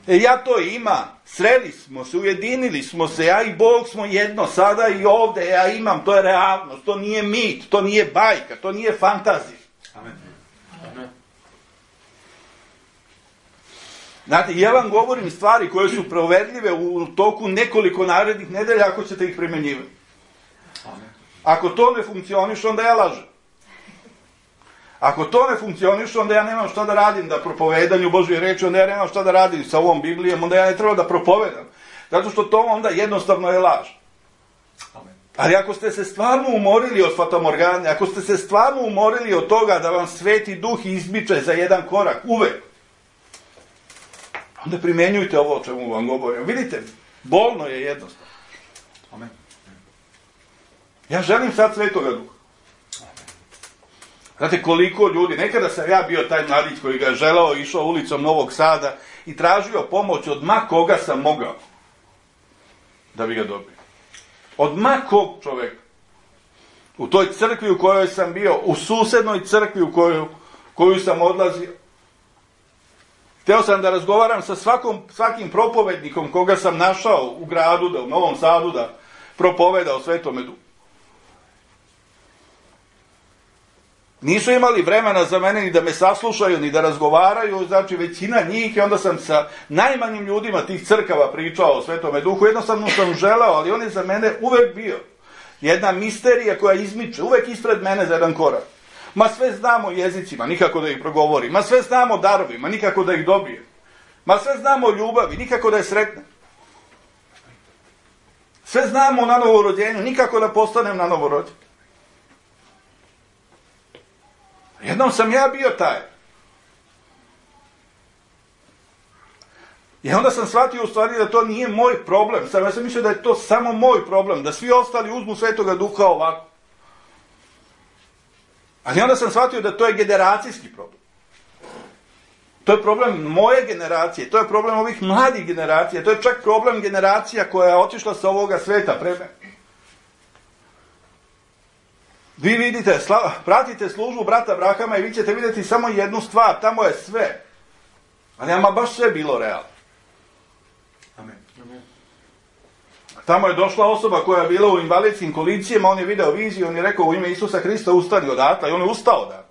E ja to imam, sreli smo se, ujedinili smo se, ja i Bog smo jedno, sada i ovdje ja imam, to je realnost, to nije mit, to nije bajka, to nije fantazija. Amen. Amen. Znate, ja vam govorim stvari koje su proverljive u toku nekoliko narednih nedelja ako ćete ih primjenjivati. Amen. Ako to ne funkcioniše, onda ja lažem. Ako to ne funkcioniše, onda ja nemam šta da radim da propovedanju Božje reči, onda ja nemam šta da radim sa ovom Biblijom, onda ja ne treba da propovedam. Zato što to onda jednostavno je laž. Amen. Ali ako ste se stvarno umorili od fatamorgane, ako ste se stvarno umorili od toga da vam Sveti Duh izmiče za jedan korak, uvek, onda primjenjujte ovo o čemu vam govorim. Vidite, bolno je jednostavno. Amen. Ja želim sad Svetoga Duha. Znate koliko ljudi, nekada sam ja bio taj mladić koji ga je želao, išao ulicom Novog Sada i tražio pomoć od ma koga sam mogao da bi ga dobio. Od ma kog čoveka. U toj crkvi u kojoj sam bio, u susednoj crkvi u koju, koju sam odlazio. Hteo sam da razgovaram sa svakom, svakim propovednikom koga sam našao u gradu, da, u Novom Sadu, da propoveda o Svetome Duhu. Nisu imali vremena za mene ni da me saslušaju, ni da razgovaraju, znači većina njih, i onda sam sa najmanjim ljudima tih crkava pričao o Svetome Duhu, jednostavno sam želeo, ali on je za mene uvek bio jedna misterija koja izmiče, uvek ispred mene za jedan korak. Ma sve znamo o jezicima, nikako da ih progovori, ma sve znamo o darovima, nikako da ih dobije, ma sve znamo o ljubavi, nikako da je sretnem. Sve znamo o nanovorođenju, nikako da postanem na novorođen. Jednom sam ja bio taj. I onda sam shvatio u stvari da to nije moj problem. Sam, ja sam mislio da je to samo moj problem, da svi ostali uzmu Svetoga Duha ovako. Ali onda sam shvatio da to je generacijski problem. To je problem moje generacije, to je problem ovih mladih generacija, to je čak problem generacija koja je otišla sa ovoga sveta pre mene. Vi vidite, sla, pratite službu brata Abrahama i vi ćete vidjeti samo jednu stvar, tamo je sve. Ali ama baš sve bilo realno. Amen. Amen. Tamo je došla osoba koja je bila u invalidskim kolicijama, on je video viziju, on je rekao u ime Isusa Hrista ustani odatle i on je ustao odatle.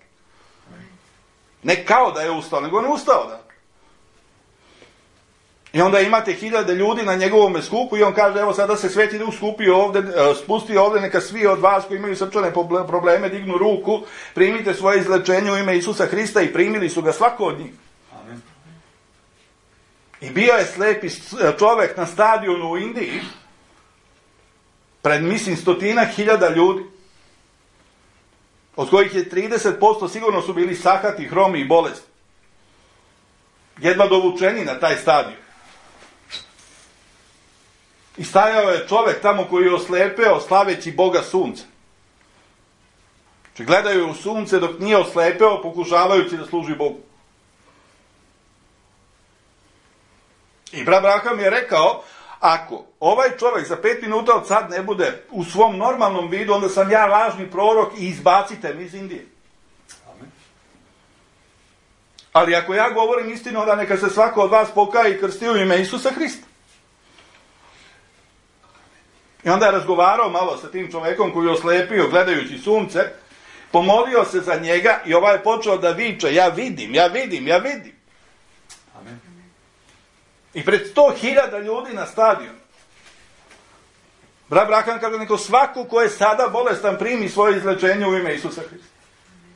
Ne kao da je ustao, nego on je ustao odatle. I onda imate hiljade ljudi na njegovom skupu i on kaže, evo sada se Sveti Duh skupi ovdje, spusti ovdje, neka svi od vas koji imaju srčane probleme dignu ruku, primite svoje izlečenje u ime Isusa Hrista i primili su ga svako od njih. Amen. I bio je slepi čovjek na stadionu u Indiji, pred mislim stotina hiljada ljudi, od kojih je trideset posto sigurno su bili sakati, hromi i bolesti. Jedva dovučeni na taj stadion. I stajao je čovjek tamo koji je oslepeo slaveći Boga sunca. Znači gledaju u sunce dok nije oslepeo, pokušavajući da služi Bogu. I brat Abraham je rekao, ako ovaj čovjek za pet minuta od sad ne bude u svom normalnom vidu, onda sam ja lažni prorok i izbacite mi iz Indije. Amen. Ali ako ja govorim istinu, onda neka se svako od vas pokaje i krsti u ime Isusa Hrista. I onda je razgovarao malo sa tim čovjekom koji je oslepio gledajući sunce, pomolio se za njega i ovaj je počeo da viče, ja vidim, ja vidim, ja vidim. Amen. I pred sto hiljada ljudi na stadionu. Brat Abraham kaže, neko svaku ko je sada bolestan primi svoje izlečenje u ime Isusa Hrista.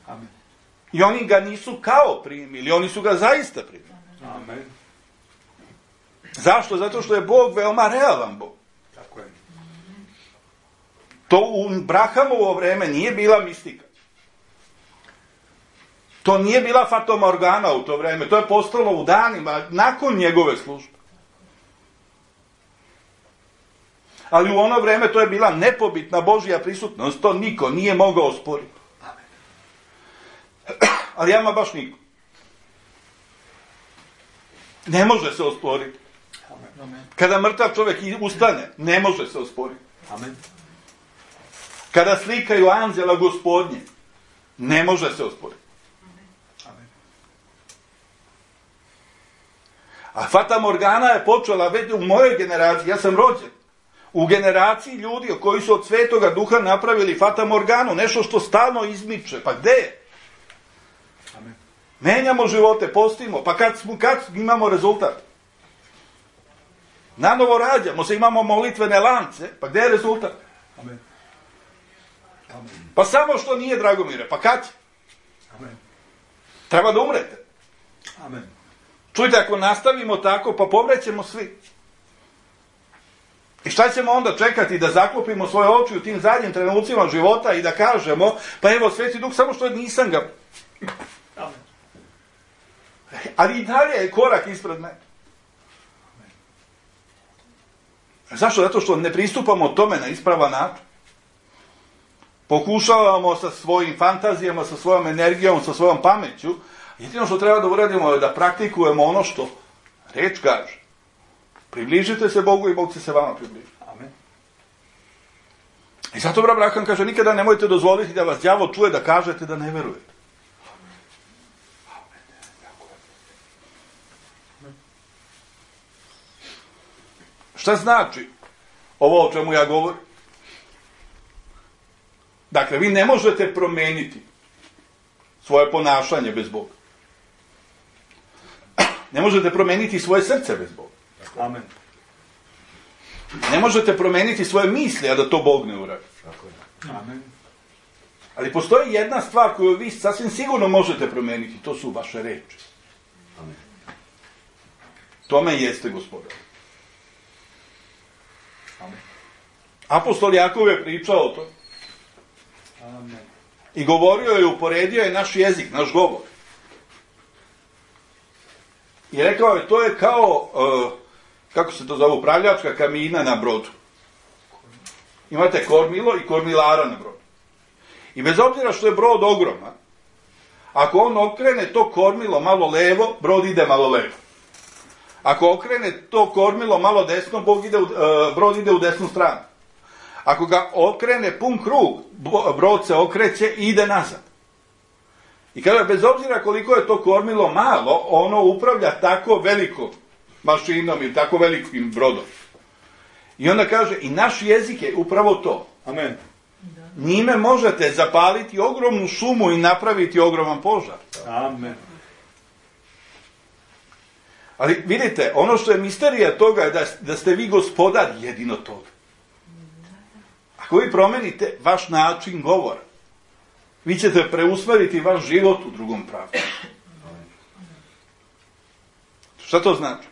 Amen. I oni ga nisu kao primili, oni su ga zaista primili. Amen. Zašto? Zato što je Bog veoma realan Bog. Tako je. To u Abrahamovo vreme nije bila mistika. To nije bila fatomorgana u to vreme, to je postalo u danima nakon njegove službe. Ali u ono vreme to je bila nepobitna Božja prisutnost, to niko nije mogao osporiti. Ali ama baš niko. Ne može se osporiti. Kada mrtav čovjek ustane, ne može se osporiti. Amen. Kada slikaju anđela Gospodnje, ne može se osporiti. Amen. A Fata Morgana je počela već u mojoj generaciji, ja sam rođen, u generaciji ljudi koji su od Svetoga Duha napravili Fata Morganu, nešto što stalno izmiče. Pa gde je? Amen. Menjamo živote, postimo, pa kad, smo, kad imamo rezultat? Nanovo rađamo se, imamo molitvene lance, pa gde je rezultat? Amen. Amen. Pa samo što nije, Dragomire, pa kad će? Amen. Treba da umrete. Amen. Čujte, ako nastavimo tako, pa pomrećemo svi. I šta ćemo onda čekati da zaklopimo svoje oči u tim zadnjim trenucima života i da kažemo, pa evo, Sveti Duh, samo što nisam ga. Amen. Ali i dalje je korak ispred mene. Zašto? Zato što ne pristupamo tome na ispravan način. Pokušavamo sa svojim fantazijama, sa svojom energijom, sa svojom pameću. Jedino što treba da uradimo je da praktikujemo ono što reč kaže. Približite se Bogu i Bog će se vama približiti. Amen. I zato brat Abraham kaže, nikada nemojte dozvoliti da vas đavo čuje da kažete da ne verujete. Šta znači ovo o čemu ja govorim? Dakle, vi ne možete promeniti svoje ponašanje bez Boga. Ne možete promeniti svoje srce bez Boga. Amen. Ne možete promeniti svoje misli, a da to Bog ne uradi. Amen. Ali postoji jedna stvar koju vi sasvim sigurno možete promeniti, to su vaše reči. Amen. Tome jeste Gospodar. Amen. Apostol Jakov je pričao o tome. Amen. I govorio je, uporedio je naš jezik, naš govor. I rekao je, to je kao, uh, kako se to zove, upravljačka kabina na brodu. Imate kormilo i kormilara na brodu. I bez obzira što je brod ogroman, Ako on okrene to kormilo malo levo, brod ide malo levo. Ako okrene to kormilo malo desno, Bog ide u, uh, brod ide u desnu stranu. Ako ga okrene pun krug, brod se okreće i ide nazad. I kaže, bez obzira koliko je to kormilo malo, ono upravlja tako velikom mašinom ili tako velikim brodom. I onda kaže, i naš jezik je upravo to. Amen. Njime možete zapaliti ogromnu šumu i napraviti ogroman požar. Amen. Ali vidite, ono što je misterija toga je da, da ste vi gospodar jedino toga. Ako vi promenite vaš način govora, vi ćete preusmeriti vaš život u drugom pravcu. Šta to znači?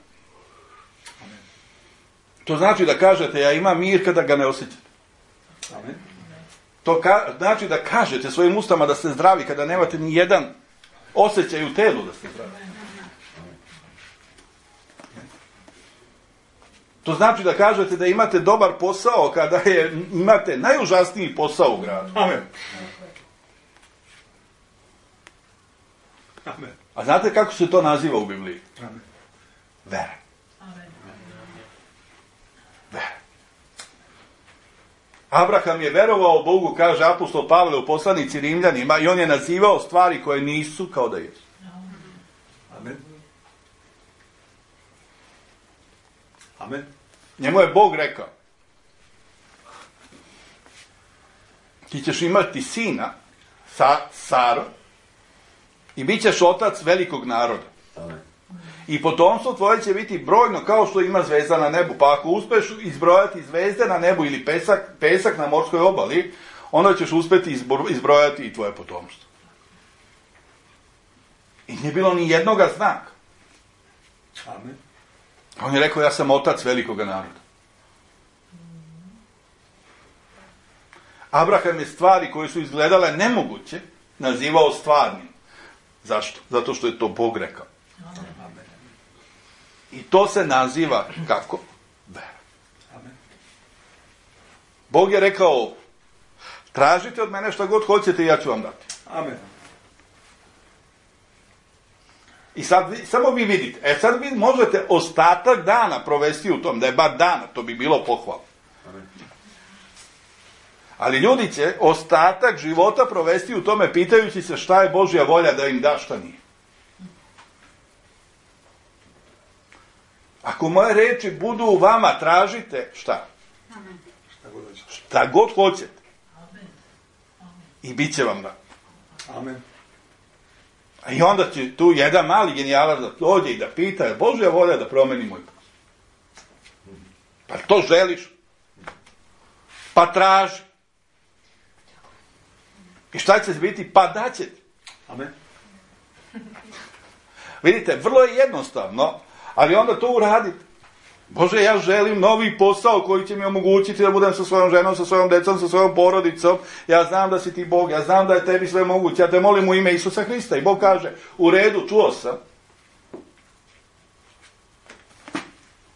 To znači da kažete, ja imam mir kada ga ne osjećate. Amen. To ka, znači da kažete svojim ustama da ste zdravi kada nemate ni jedan osjećaj u telu da ste zdravi. To znači da kažete da imate dobar posao kada je, imate najužasniji posao u gradu. Amen. Amen. A znate kako se to naziva u Bibliji? Amen. Vera. Vera. Abraham je verovao Bogu, kaže apostol Pavle u poslanici Rimljanima, i on je nazivao stvari koje nisu kao da jesu. Amen. Amen. Njemu je Bog rekao, ti ćeš imati sina, sa, Saro, i bit ćeš otac velikog naroda. Amen. I potomstvo tvoje će biti brojno kao što ima zvezda na nebu. Pa ako uspeš izbrojati zvezde na nebu ili pesak, pesak na morskoj obali, onda ćeš uspjeti izbrojati i tvoje potomstvo. I nije bilo ni jednoga znaka. Amen. On je rekao, ja sam otac velikoga naroda. Abraham je stvari koje su izgledale nemoguće nazivao stvarnim. Zašto? Zato što je to Bog rekao. I to se naziva kako? Vera. Amen. Bog je rekao, tražite od mene šta god hoćete i ja ću vam dati. Amen. I sad vi, samo vi vidite, e sad vi možete ostatak dana provesti u tom, da je bar dana, to bi bilo pohvalno. Amen. Ali ljudi će ostatak života provesti u tome pitajući se šta je Božja volja da im da, šta nije. Ako moje reči budu u vama, tražite šta? Šta god hoćete. Šta god hoćete. I bit će vam da. Amen. I onda će tu jedan mali genijalac da dođe i da pita, je Božja volja da promeni moj put? Pa to želiš? Pa traži. I šta će biti? Pa daće ti. Amen. Vidite, vrlo je jednostavno, ali onda to uradite. Bože, ja želim novi posao koji će mi omogućiti da budem sa svojom ženom, sa svojom decom, sa svojom porodicom. Ja znam da si ti Bog, ja znam da je tebi sve moguće. Ja te molim u ime Isusa Hrista. I Bog kaže, u redu, čuo sam.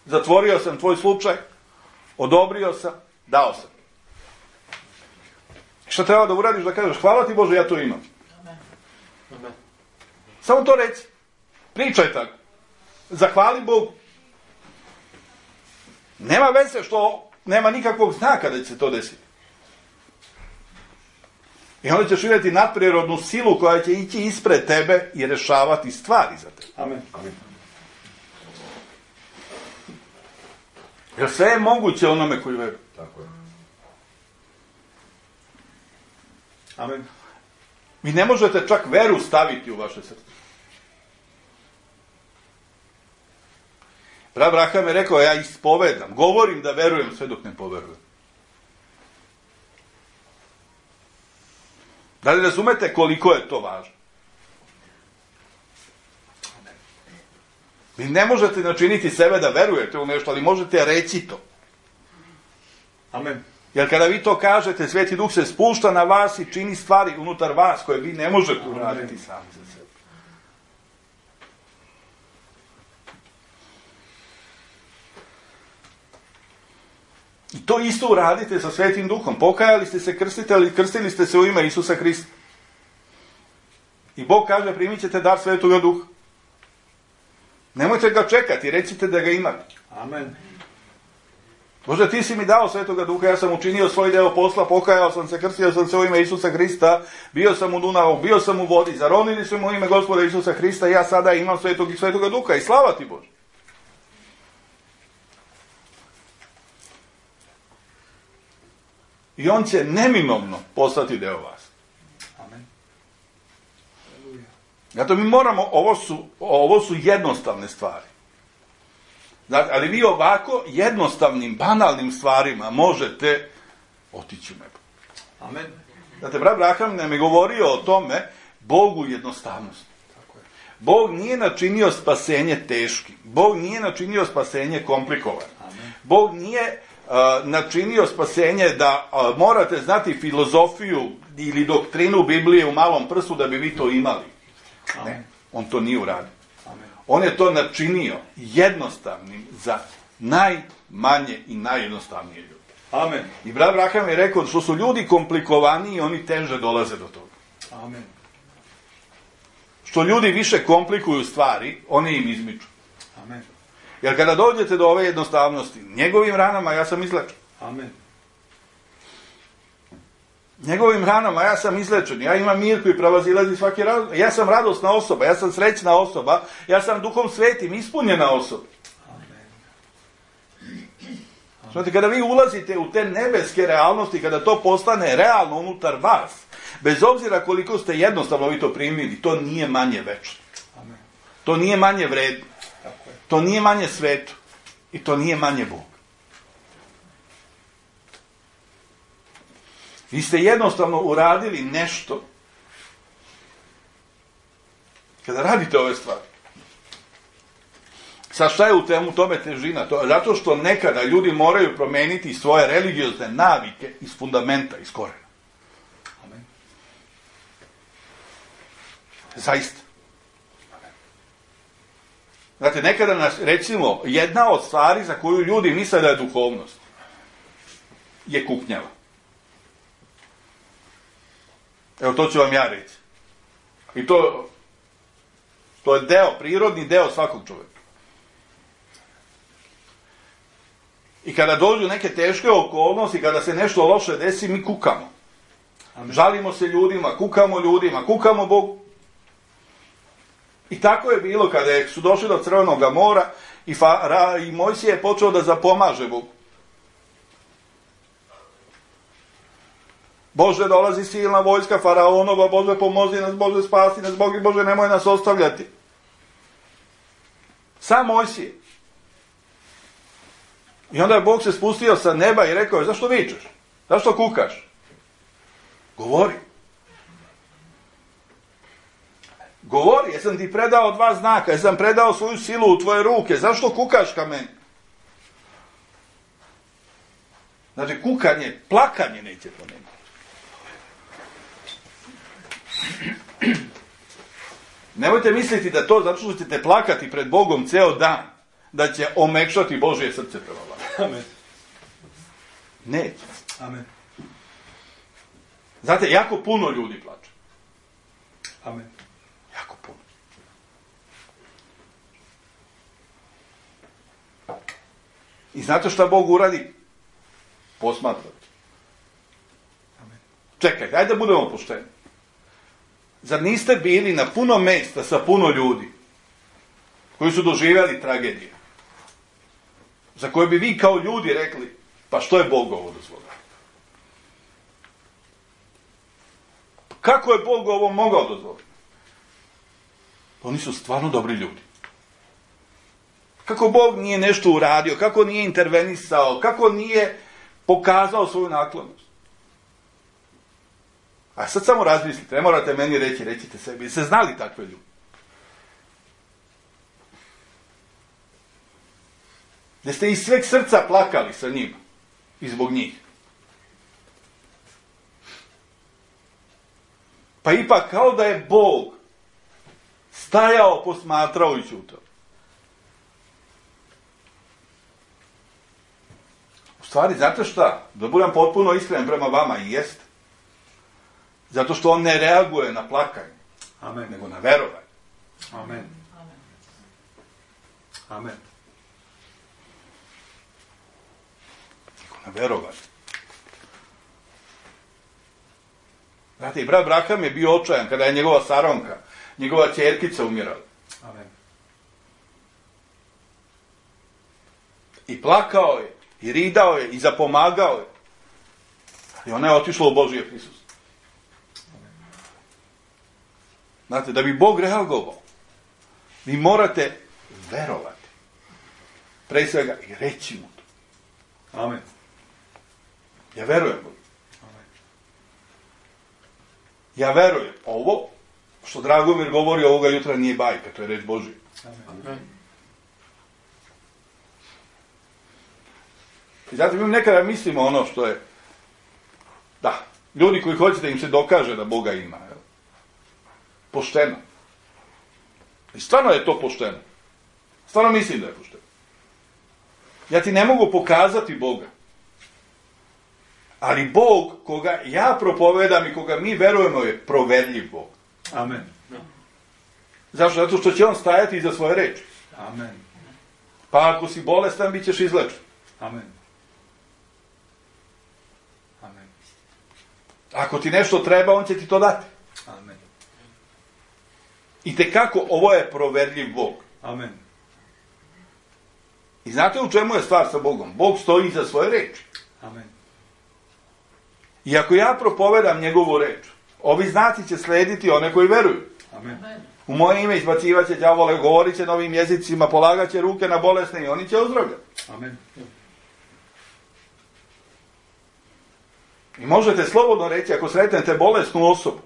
Zatvorio sam tvoj slučaj, odobrio sam, dao sam. Šta treba da uradiš? Da kažeš, hvala ti Bože, ja to imam. Amen. Samo to reci. Pričaj tako. Zahvali Bogu. Nema veze što nema nikakvog znaka da će se to desiti. I onda ćeš vidjeti nadprirodnu silu koja će ići ispred tebe i rešavati stvari za tebe. Amen. Amen. Jer sve je moguće onome koji veruje. Tako je. Amen. Vi ne možete čak veru staviti u vaše srce. Abraham je rekao, ja ispovedam, govorim da verujem sve dok ne poverujem. Da li razumete koliko je to važno? Vi ne možete načiniti sebe da verujete u nešto, ali možete reći to. Amen. Jer kada vi to kažete, Sveti Duh se spušta na vas i čini stvari unutar vas koje vi ne možete uraditi sami za sebe. I to isto uradite sa Svetim Duhom. Pokajali ste se, krstite, ali krstili ste se u ime Isusa Hrista. I Bog kaže, primit ćete dar Svetoga Duha. Nemojte ga čekati, recite da ga imate. Amen. Bože, ti si mi dao Svetoga Duha, ja sam učinio svoj deo posla, pokajao sam se, krstio sam se u ime Isusa Hrista, bio sam u Dunavu, bio sam u vodi, zaronili su mu u ime Gospoda Isusa Hrista i ja sada imam Svetog i Svetoga Duha i slava ti Bože. I on će neminovno postati deo vas. Amen. Zato mi moramo, ovo su, ovo su jednostavne stvari. Znači, ali vi ovako jednostavnim, banalnim stvarima možete otići u nebo. Amen. Znate, brat Abraham nam je govorio o tome Bogu jednostavnosti. Tako je. Bog nije načinio spasenje teškim. Bog nije načinio spasenje komplikovano. Amen. Bog nije uh, načinio spasenje da uh, morate znati filozofiju ili doktrinu Biblije u malom prstu da bi vi to imali. Amen. Ne, on to nije uradio. Amen. On je to načinio jednostavnim za najmanje i najjednostavnije ljude. Amen. I brat Abraham je rekao što su ljudi komplikovaniji, oni teže dolaze do toga. Amen. Što ljudi više komplikuju stvari, oni im izmiču. Amen. Jer kada dođete do ove jednostavnosti, njegovim ranama ja sam izlečen. Amen. Njegovim ranama ja sam izlečen. Ja imam mir koji prevazilazi svaki razum. Ja sam radosna osoba, ja sam srećna osoba, ja sam Duhom Svetim ispunjena osoba. Znate, kada vi ulazite u te nebeske realnosti, kada to postane realno unutar vas, bez obzira koliko ste jednostavno vi to primili, to nije manje večno. Amen. To nije manje vredno. Tako je. To nije manje sveto. I to nije manje Bog. Vi ste jednostavno uradili nešto kada radite ove stvari. Sad šta je u temu tome težina? To je zato što nekada ljudi moraju promeniti svoje religiozne navike iz fundamenta, iz korena. Amen. Zaista. Znate, nekada nas, recimo, jedna od stvari za koju ljudi misle da je duhovnost, je kuknjava. Evo, to ću vam ja reći. I to, to je deo, prirodni deo svakog čovjeka. I kada dođu neke teške okolnosti, kada se nešto loše desi, mi kukamo. Amen. Žalimo se ljudima, kukamo ljudima, kukamo Bogu. I tako je bilo kada su došli do Crvenog mora i, Fara, i Mojsije je počeo da zapomaže Bogu. Bože, dolazi silna vojska faraonova, Bože, pomozi nas, Bože, spasi nas, Bože, Bože, nemoj nas ostavljati. Sam Mojsije. I onda je Bog se spustio sa neba i rekao je, zašto vičeš? Zašto kukaš? Govori. Govori, jesam ti predao dva znaka, jesam predao svoju silu u tvoje ruke, zašto kukaš ka meni? Znači, kukanje, plakanje neće promeniti. Nemojte misliti da to, zato što ćete plakati pred Bogom ceo dan, da će omekšati Božje srce prema vama. Amen. Neće. Amen. Znate, jako puno ljudi plače. Amen. Jako puno. I znate šta Bog uradi? Posmatrati. Amen. Čekajte, ajde da budemo pošteni. Zar niste bili na puno mesta sa puno ljudi koji su doživjeli tragedije, za koje bi vi kao ljudi rekli, pa što je Bog ovo dozvolio? Kako je Bog ovo mogao dozvoliti? Oni su stvarno dobri ljudi. Kako Bog nije nešto uradio, kako nije intervenisao, kako nije pokazao svoju naklonost. A sad samo razmislite, ne morate meni reći, recite sebi, ste znali takve ljudi? Da ste iz sveg srca plakali sa njima i zbog njih. Pa ipak kao da je Bog stajao, posmatrao i ćutao. U stvari, znate šta? Da budem potpuno iskren prema vama, i jeste. Zato što on ne reaguje na plakanje. Amen. nego na verovanje. Amen. Amen. Nego na verovanje. Znate, i brat Braham je bio očajan kada je njegova Saronka, njegova ćerkica umirala. Amen. I plakao je, i ridao je, i zapomagao je. I ona je otišla u Božije prisustvo. Znate, da bi Bog reagovao, vi morate verovati. Pre svega i reći mu to. Amen. Ja verujem Bogu. Amen. Ja verujem. Ovo, što Dragomir govori ovoga jutra, nije bajka, to je reč Božija. Amen. I zato mi nekada mislimo ono što je, da, ljudi koji hoće da im se dokaže da Boga ima, jel? Pošteno. I stvarno je to pošteno. Stvarno mislim da je pošteno. Ja ti ne mogu pokazati Boga. Ali Bog, koga ja propovedam i koga mi verujemo, je proverljiv Bog. Amen. Zašto? Zato što će on stajati iza svoje reči. Amen. Pa ako si bolestan, bit ćeš izlečen. Amen. Amen. Ako ti nešto treba, on će ti to dati. Amen. I tekako, ovo je proverljiv Bog. Amen. I znate u čemu je stvar sa Bogom? Bog stoji iza svoje reči. Amen. I ako ja propovedam njegovu reč, ovi znaci će slediti one koji veruju. Amen. U moje ime izbacivat će đavole, govorit će novim jezicima, polagat će ruke na bolesne i oni će ozdravljati. Amen. I možete slobodno reći, ako sretnete bolesnu osobu,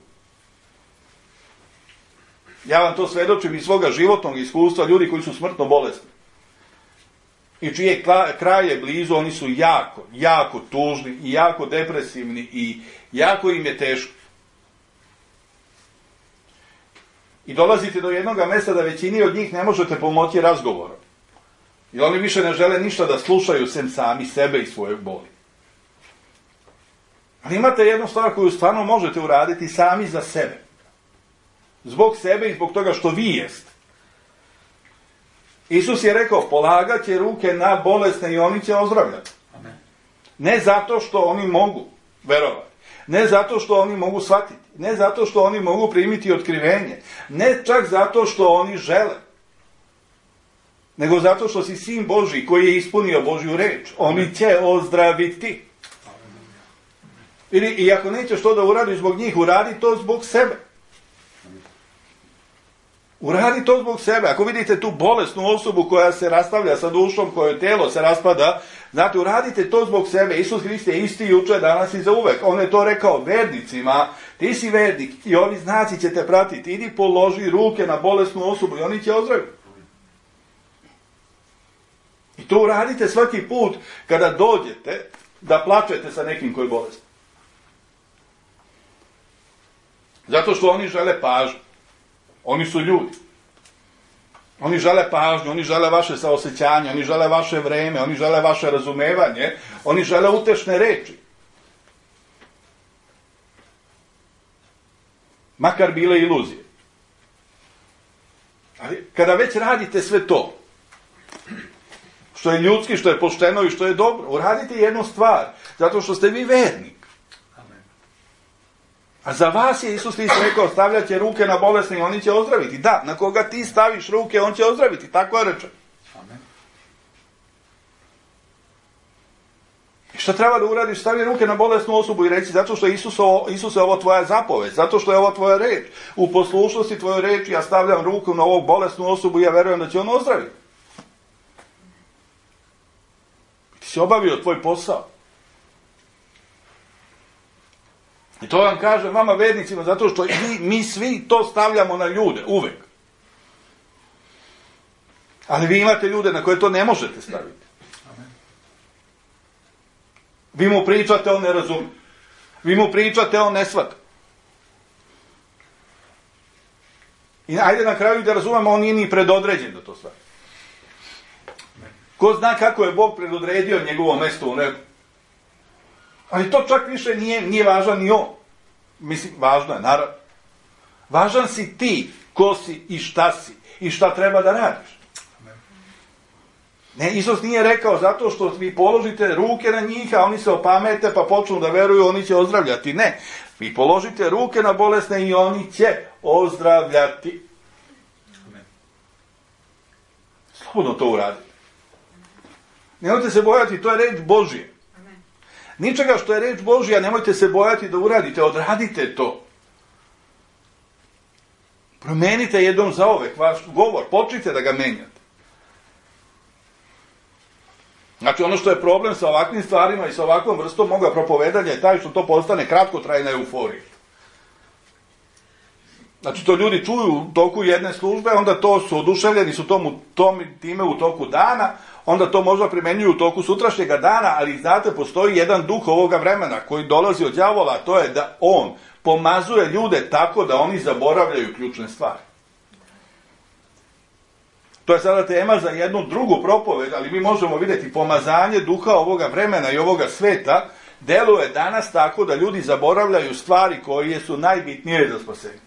ja vam to svedočim iz svoga životnog iskustva, ljudi koji su smrtno bolesni i čije kraj je blizu, oni su jako, jako tužni i jako depresivni i jako im je teško. I dolazite do jednog mjesta da većini od njih ne možete pomoći razgovorom. I oni više ne žele ništa da slušaju sem sami sebe i svoje boli. Ali imate jednu stvar koju stvarno možete uraditi sami za sebe. Zbog sebe i zbog toga što vi jeste. Isus je rekao, polagat će ruke na bolesne i oni će ozdravljati. Amen. Ne zato što oni mogu verovati. Ne zato što oni mogu shvatiti. Ne zato što oni mogu primiti otkrivenje. Ne čak zato što oni žele. Nego zato što si sin Božji koji je ispunio Božju reč. Oni će ozdraviti. Ili, i ako nećeš to da uradi zbog njih, uradi to zbog sebe. Uradi to zbog sebe. Ako vidite tu bolesnu osobu koja se rastavlja sa dušom, kojoj telo se raspada, znate, uradite to zbog sebe. Isus Hrist je isti juče, danas i za uvek. On je to rekao vernicima. Ti si vernik i ovi znaci će te pratiti. Idi položi ruke na bolesnu osobu i oni će ozdraviti. I to uradite svaki put kada dođete da plačete sa nekim koji je bolestan. Zato što oni žele pažnju. Oni su ljudi. Oni žele pažnju, oni žele vaše saosećanje, oni žele vaše vreme, oni žele vaše razumevanje, oni žele utešne reči. Makar bile iluzije. Ali kada već radite sve to, što je ljudski, što je pošteno i što je dobro, uradite jednu stvar, zato što ste vi vernik. A za vas je Isus Hrist rekao, stavljat će ruke na bolesne i oni će ozdraviti. Da, na koga ti staviš ruke, on će ozdraviti. Tako je rečeno. Amen. I šta treba da uradiš? Stavi ruke na bolesnu osobu i reći, zato što je Isus ovo, Isus je ovo tvoja zapovest, zato što je ovo tvoja reč. U poslušnosti tvoje reči ja stavljam ruku na ovog bolesnu osobu i ja verujem da će on ozdraviti. Ti si obavio tvoj posao. I to vam kažem vama vernicima, zato što mi, mi svi to stavljamo na ljude, uvek. Ali vi imate ljude na koje to ne možete staviti. Amen. Vi mu pričate, on ne razumije. Vi mu pričate, on ne shvata. I ajde na kraju da razumemo, on nije ni predodređen da to stavi. Ko zna kako je Bog predodredio njegovo mesto u nebu. Ali to čak više nije, nije važno ni on. Mislim, važno je, naravno. Važan si ti, ko si i šta si i šta treba da radiš. Ne, Isus nije rekao zato što vi položite ruke na njih, a oni se opamete pa počnu da veruju, oni će ozdravljati. Ne, vi položite ruke na bolesne i oni će ozdravljati. Slobodno to uradite. Nemojte se bojati, to je reč Božija. Ničega što je reč Božija, nemojte se bojati da uradite, odradite to. Promenite jednom zaovek vaš govor, počnite da ga menjate. Znači, ono što je problem sa ovakvim stvarima i sa ovakvom vrstom moga propovedanja je taj što to postane kratkotrajna euforija. Znači, to ljudi čuju u toku jedne službe, onda to su oduševljeni su tomu, tom, time u toku dana, onda to možda primenjuju u toku sutrašnjega dana, ali znate, postoji jedan duh ovoga vremena koji dolazi od đavola, a to je da on pomazuje ljude tako da oni zaboravljaju ključne stvari. To je sada tema za jednu drugu propoved, ali mi možemo vidjeti pomazanje duha ovoga vremena i ovoga sveta deluje danas tako da ljudi zaboravljaju stvari koje su najbitnije za spasenje.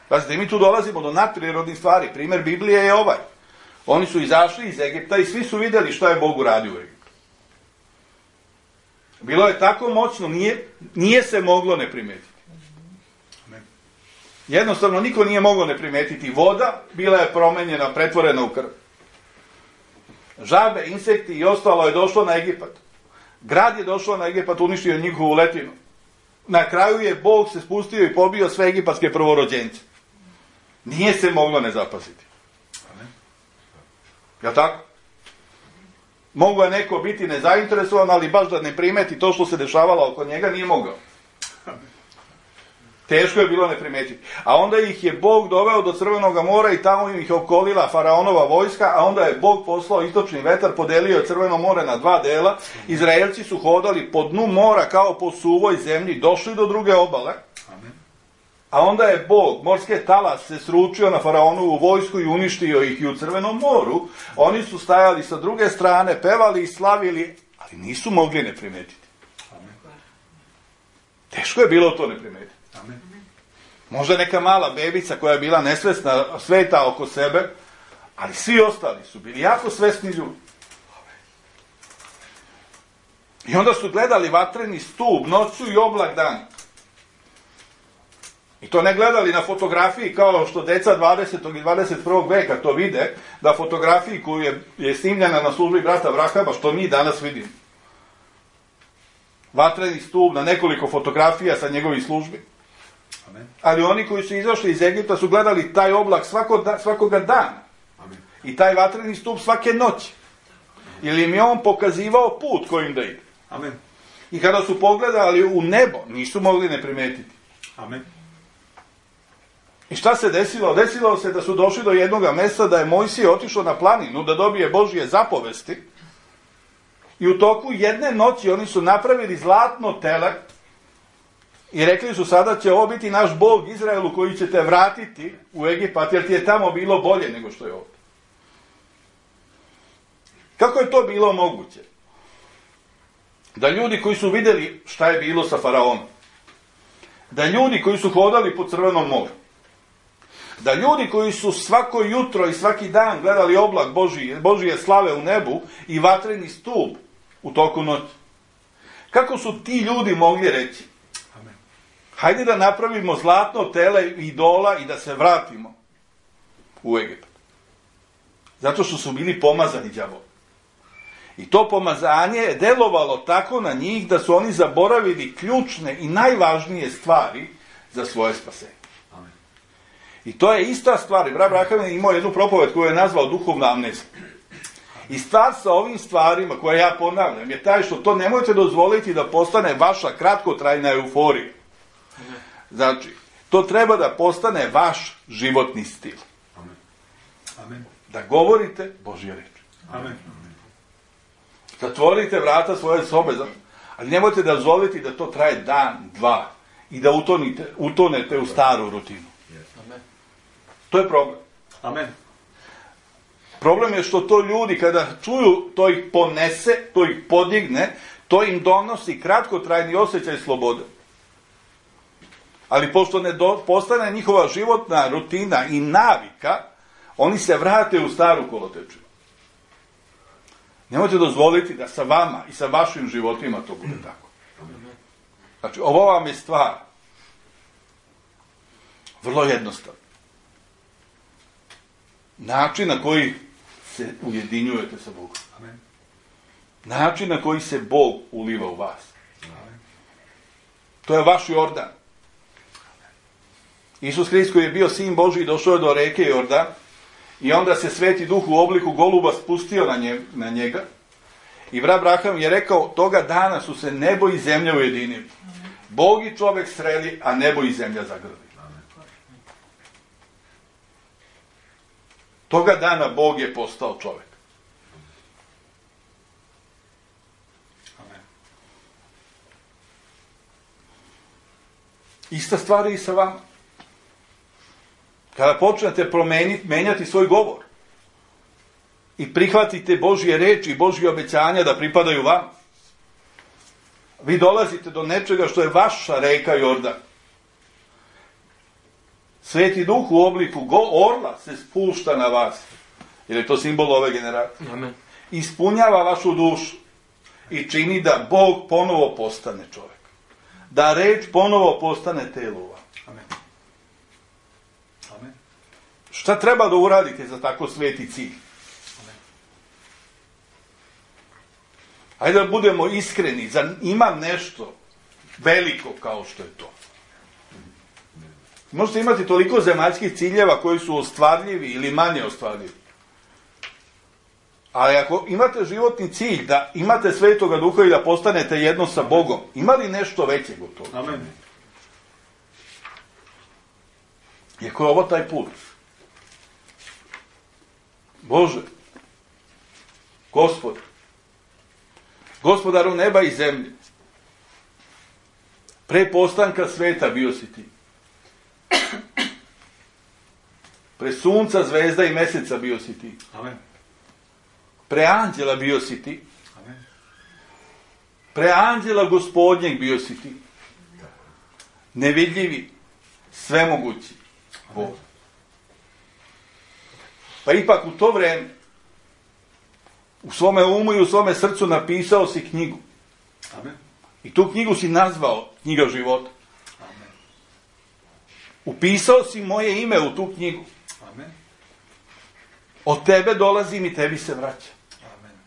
Pazite, mi tu dolazimo do nadprirodnih stvari. Primjer Biblije je ovaj. Oni su izašli iz Egipta i svi su vidjeli šta je Bog uradio u Egiptu. Bilo je tako moćno, nije, nije se moglo ne primetiti. Jednostavno, niko nije moglo ne primetiti. Voda bila je promenjena, pretvorena u krv. Žabe, insekti i ostalo je došlo na Egipat. Grad je došao na Egipat, uništio njihovu letinu. Na kraju je Bog se spustio i pobio sve egipatske prvorođence. Nije se moglo ne zapaziti. Jel' tako? Mogu je neko biti nezainteresovan, ali baš da ne primeti to što se dešavalo oko njega, nije mogao. Teško je bilo ne primetiti. A onda ih je Bog doveo do Crvenog mora i tamo ih okolila faraonova vojska, a onda je Bog poslao istočni vetar, podelio Crveno more na dva dela. Izraelci su hodali po dnu mora kao po suvoj zemlji, došli do druge obale. A onda je Bog, morske talas, se sručio na faraonovu vojsku i uništio ih i u Crvenom moru. Oni su stajali sa druge strane, pevali i slavili, ali nisu mogli ne primetiti. Teško je bilo to ne primetiti. Možda neka mala bebica koja je bila nesvesna sveta oko sebe, ali svi ostali su bili jako svesni ljudi. I onda su gledali vatreni stup noću i oblak dan. I to ne gledali na fotografiji kao što deca dvadesetog i dvadeset prvog veka to vide, da fotografiji koju je, je snimljena na službi brata Vrahama, što mi danas vidimo. Vatreni stup na nekoliko fotografija sa njegovih službi. Amen. Ali oni koji su izašli iz Egipta su gledali taj oblak svako da, svakoga dana. Amen. I taj vatreni stup svake noći. Ili im je on pokazivao put kojim da ide. Amen. I kada su pogledali u nebo, nisu mogli ne primetiti. Amen. I šta se desilo? Desilo se da su došli do jednog mesta da je Mojsije otišao na planinu da dobije Božje zapovesti. I u toku jedne noći oni su napravili zlatno tele i rekli su sada će ovo biti naš Bog Izraelu koji će te vratiti u Egipat jer ti je tamo bilo bolje nego što je ovdje. Kako je to bilo moguće? Da ljudi koji su vidjeli šta je bilo sa faraonom, da ljudi koji su hodali po Crvenom moru, da ljudi koji su svako jutro i svaki dan gledali oblak Božije, Božije slave u nebu i vatreni stup u toku noći. Kako su ti ljudi mogli reći? Amen. Hajde da napravimo zlatno tele idola i da se vratimo u Egipat. Zato što su bili pomazani đavolom. I to pomazanje je delovalo tako na njih da su oni zaboravili ključne i najvažnije stvari za svoje spasenje. Amen. I to je ista stvar. Brat Braham je imao jednu propoved koju je nazvao duhovna amnezija. I stvar sa ovim stvarima koje ja ponavljam je taj što to nemojte dozvoliti da postane vaša kratkotrajna euforija. Znači, to treba da postane vaš životni stil. Amen. Amen. Da govorite Božje reči. Amen. Zatvorite vrata svoje sobe, ali nemojte da dozvoliti da to traje dan, dva i da utonite, utonete u staru rutinu. Amen. To je problem. Amen. Problem je što to ljudi kada čuju, to ih ponese, to ih podigne, to im donosi kratkotrajni osjećaj slobode. Ali pošto ne do, postane njihova životna rutina i navika, oni se vrate u staru kolotečinu. Nemojte dozvoliti da sa vama i sa vašim životima to bude tako. Znači, ovo vam je stvar vrlo jednostavna. Način na koji se ujedinjujete sa Bogom. Amen. Način na koji se Bog uliva u vas. Amen. To je vaš Jordan. Isus Hrist koji je bio sin Božji došao je do reke Jordan i onda se Sveti Duh u obliku goluba spustio na, nje, na njega i Vra Abraham je rekao, toga dana su se nebo i zemlja ujedinili. Bog i čovjek sreli, a nebo i zemlja zagrli. Toga dana Bog je postao čovjek. Amen. Ista stvar je i sa vama. Kada počnete promeniti, menjati svoj govor i prihvatite Božje reči i Božje obećanja da pripadaju vam, vi dolazite do nečega što je vaša reka Jordan. Sveti Duh u obliku go orla se spušta na vas, jer je to simbol ove generacije. Amen. Ispunjava vašu dušu i čini da Bog ponovo postane čovjek. Da reč ponovo postane telo u vam. Amen. Amen. Šta treba da uradite za tako sveti cilj? Amen. Hajde da budemo iskreni, zar ima nešto veliko kao što je to? Možete imati toliko zemaljskih ciljeva koji su ostvarljivi ili manje ostvarljivi. Ali ako imate životni cilj da imate Svetoga Duha i da postanete jedno sa Bogom, ima li nešto većeg od toga? Amen. Iako je ovo taj put. Bože, Gospod, Gospodaru neba i zemlje, pre postanka sveta bio si ti. Pre sunca, zvezda i meseca bio si ti. Amen. Pre anđela bio si ti. Amen. Pre anđela Gospodnjeg bio si ti. Nevidljivi, svemogući Bog. Pa ipak u to vreme u svome umu i u svome srcu napisao si knjigu. Amen. I tu knjigu si nazvao knjiga života. Amen. Upisao si moje ime u tu knjigu. Amen. Od tebe dolazim i tebi se vraća. Amen.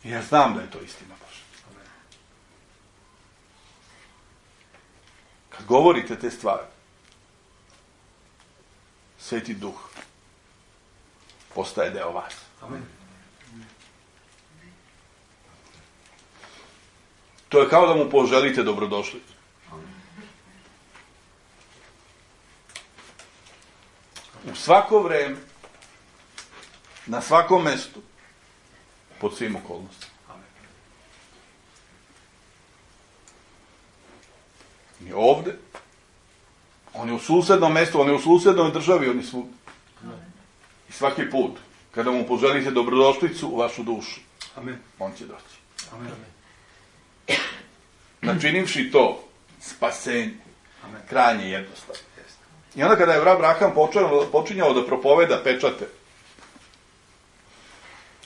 I ja znam da je to istina Božja. Amen. Kad govorite te stvari, Sveti Duh postaje deo vas. Amen. To je kao da mu poželite dobrodošlicu. U svako vreme, na svakom mestu, pod svim okolnostima. Amen. I ovde, on je u susednom mestu, on je u susednoj državi, on je svud. I svaki put, kada mu poželite dobrodošlicu u vašu dušu, Amen. on će doći. Amen. Načinivši to, spasenje, Amen. krajnje jednostavno. I onda kada je Vra Abraham počinjao, počinjao da propoveda pečate,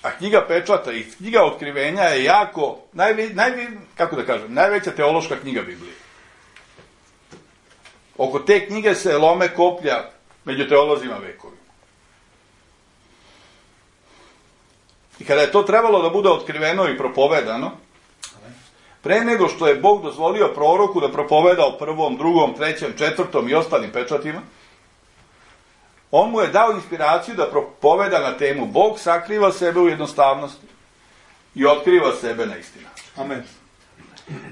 a knjiga pečata i knjiga otkrivenja je jako, najve, najve, kako da kažem, najveća teološka knjiga Biblije. Oko te knjige se lome koplja među teolozima vekovima. I kada je to trebalo da bude otkriveno i propovedano, pre nego što je Bog dozvolio proroku da propoveda o prvom, drugom, trećem, četvrtom i ostalim pečatima, on mu je dao inspiraciju da propoveda na temu Bog sakriva sebe u jednostavnosti i otkriva sebe na isti način. Amen.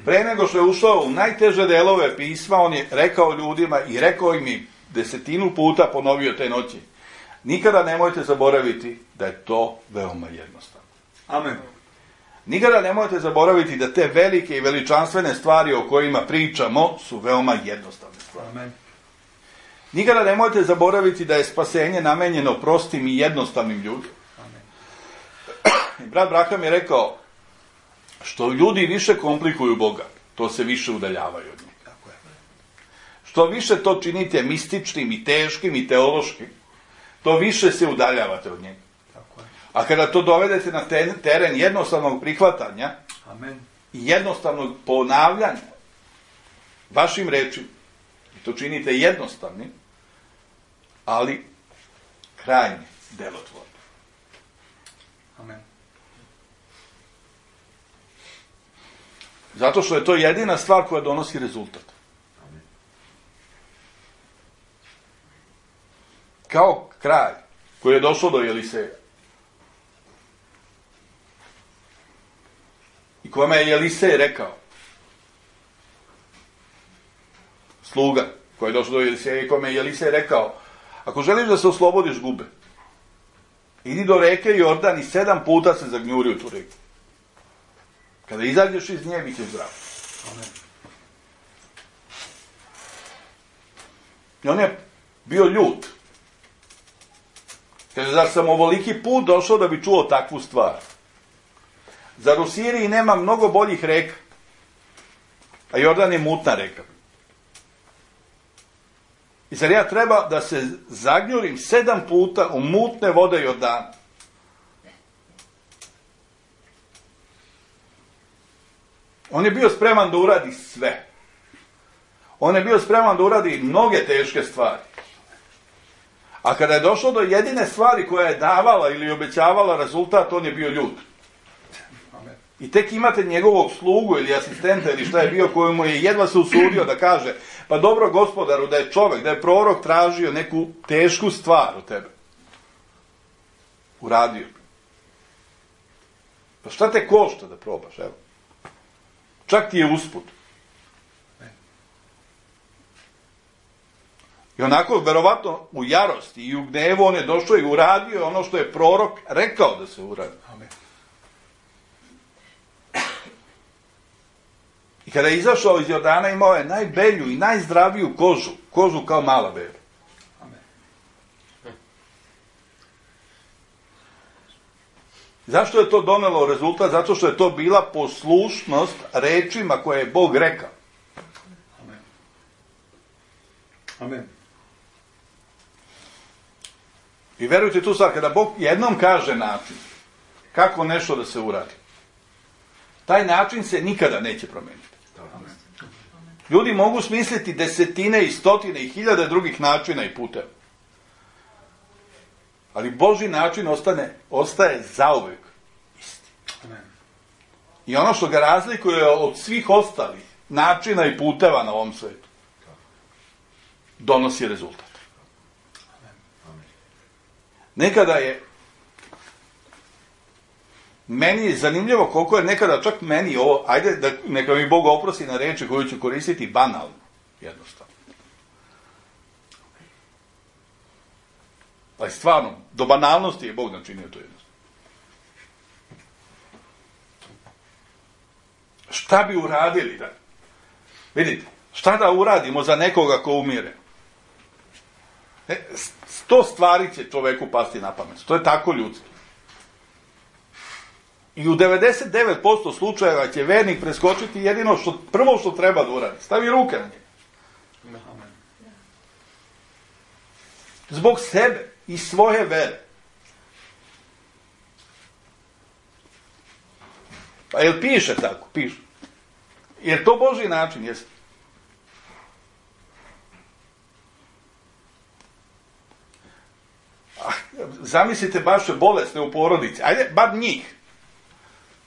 Pre nego što je ušao u najteže delove pisma, on je rekao ljudima i rekao im i desetinu puta ponovio te noći. Nikada nemojte zaboraviti da je to veoma jednostavno. Amen. Nikada nemojte zaboraviti da te velike i veličanstvene stvari o kojima pričamo su veoma jednostavne stvari. Amen. Nikada nemojte zaboraviti da je spasenje namenjeno prostim i jednostavnim ljudima. Amen. I brat Abraham je rekao, što ljudi više komplikuju Boga, to se više udaljavaju od njega. Tako je. što više to činite mističnim i teškim i teološkim, to više se udaljavate od njega. Tako je. A kada to dovedete na teren jednostavnog prihvatanja Amen. i jednostavnog ponavljanja vašim rečima, i to činite jednostavnim, ali krajnje delotvorno. Amen. Zato što je to jedina stvar koja donosi rezultat. Kao kralj koji je došao do Jeliseja i kome je Jelisej rekao, sluga koji je došao do Jeliseja i kome je Jelisej rekao, ako želiš da se oslobodiš gube, idi do reke Jordan i sedam puta se zagnjuri u tu reku. Kada izađeš iz nje, bit ćeš zdrav. Amen. I on je bio ljut. Kaže, zar sam ovoliki put došao da bi čuo takvu stvar? Zar u Siriji nema mnogo boljih reka? A Jordan je mutna reka. I zar ja treba da se zagnjurim sedam puta u mutne vode Jordana? On je bio spreman da uradi sve. On je bio spreman da uradi mnoge teške stvari. A kada je došlo do jedine stvari koja je davala ili obećavala rezultat, on je bio ljut. Amen. I tek imate njegovog slugu ili asistenta ili šta je bio, kojemu je jedva se usudio da kaže, pa dobro gospodaru, da je čovjek, da je prorok tražio neku tešku stvar od tebe. Uradio bi. Pa šta te košta da probaš, evo? Čak ti je usput. I onako, verovatno, u jarosti i u gnevu on je došao i uradio ono što je prorok rekao da se uradi. Amen. I kada je izašao iz Jordana, imao je najbelju i najzdraviju kožu, kožu kao mala beba. Amen. Zašto je to donelo rezultat? Zato što je to bila poslušnost rečima koje je Bog rekao. Amen. Amen. I verujte tu stvar, kada Bog jednom kaže način kako nešto da se uradi, taj način se nikada neće promeniti. Amen. Ljudi mogu smisliti desetine i stotine i hiljade drugih načina i puteva. Ali Božji način ostane, ostaje zauvek isti. Amen. I ono što ga razlikuje od svih ostalih načina i puteva na ovom svetu, donosi rezultat. Nekada je meni je zanimljivo koliko je nekada čak meni ovo, ajde da neka mi Bog oprosti na reči koju ću koristiti, banalno, jednostavno. Ali stvarno, do banalnosti je Bog načinio to jednostavno. Šta bi uradili da? Vidite, šta da uradimo za nekoga ko umire? E, sto stvari će čoveku pasti na pamet. To je tako ljudski. I u devedeset devet posto slučajeva će vernik preskočiti jedino što, prvo što treba da uradi. Stavi ruke na njega. Amen. Zbog sebe i svoje vere. Pa jel piše tako? Piše. Jer to Božji način jeste. Zamislite baš bolesne u porodici. Ajde, bar njih.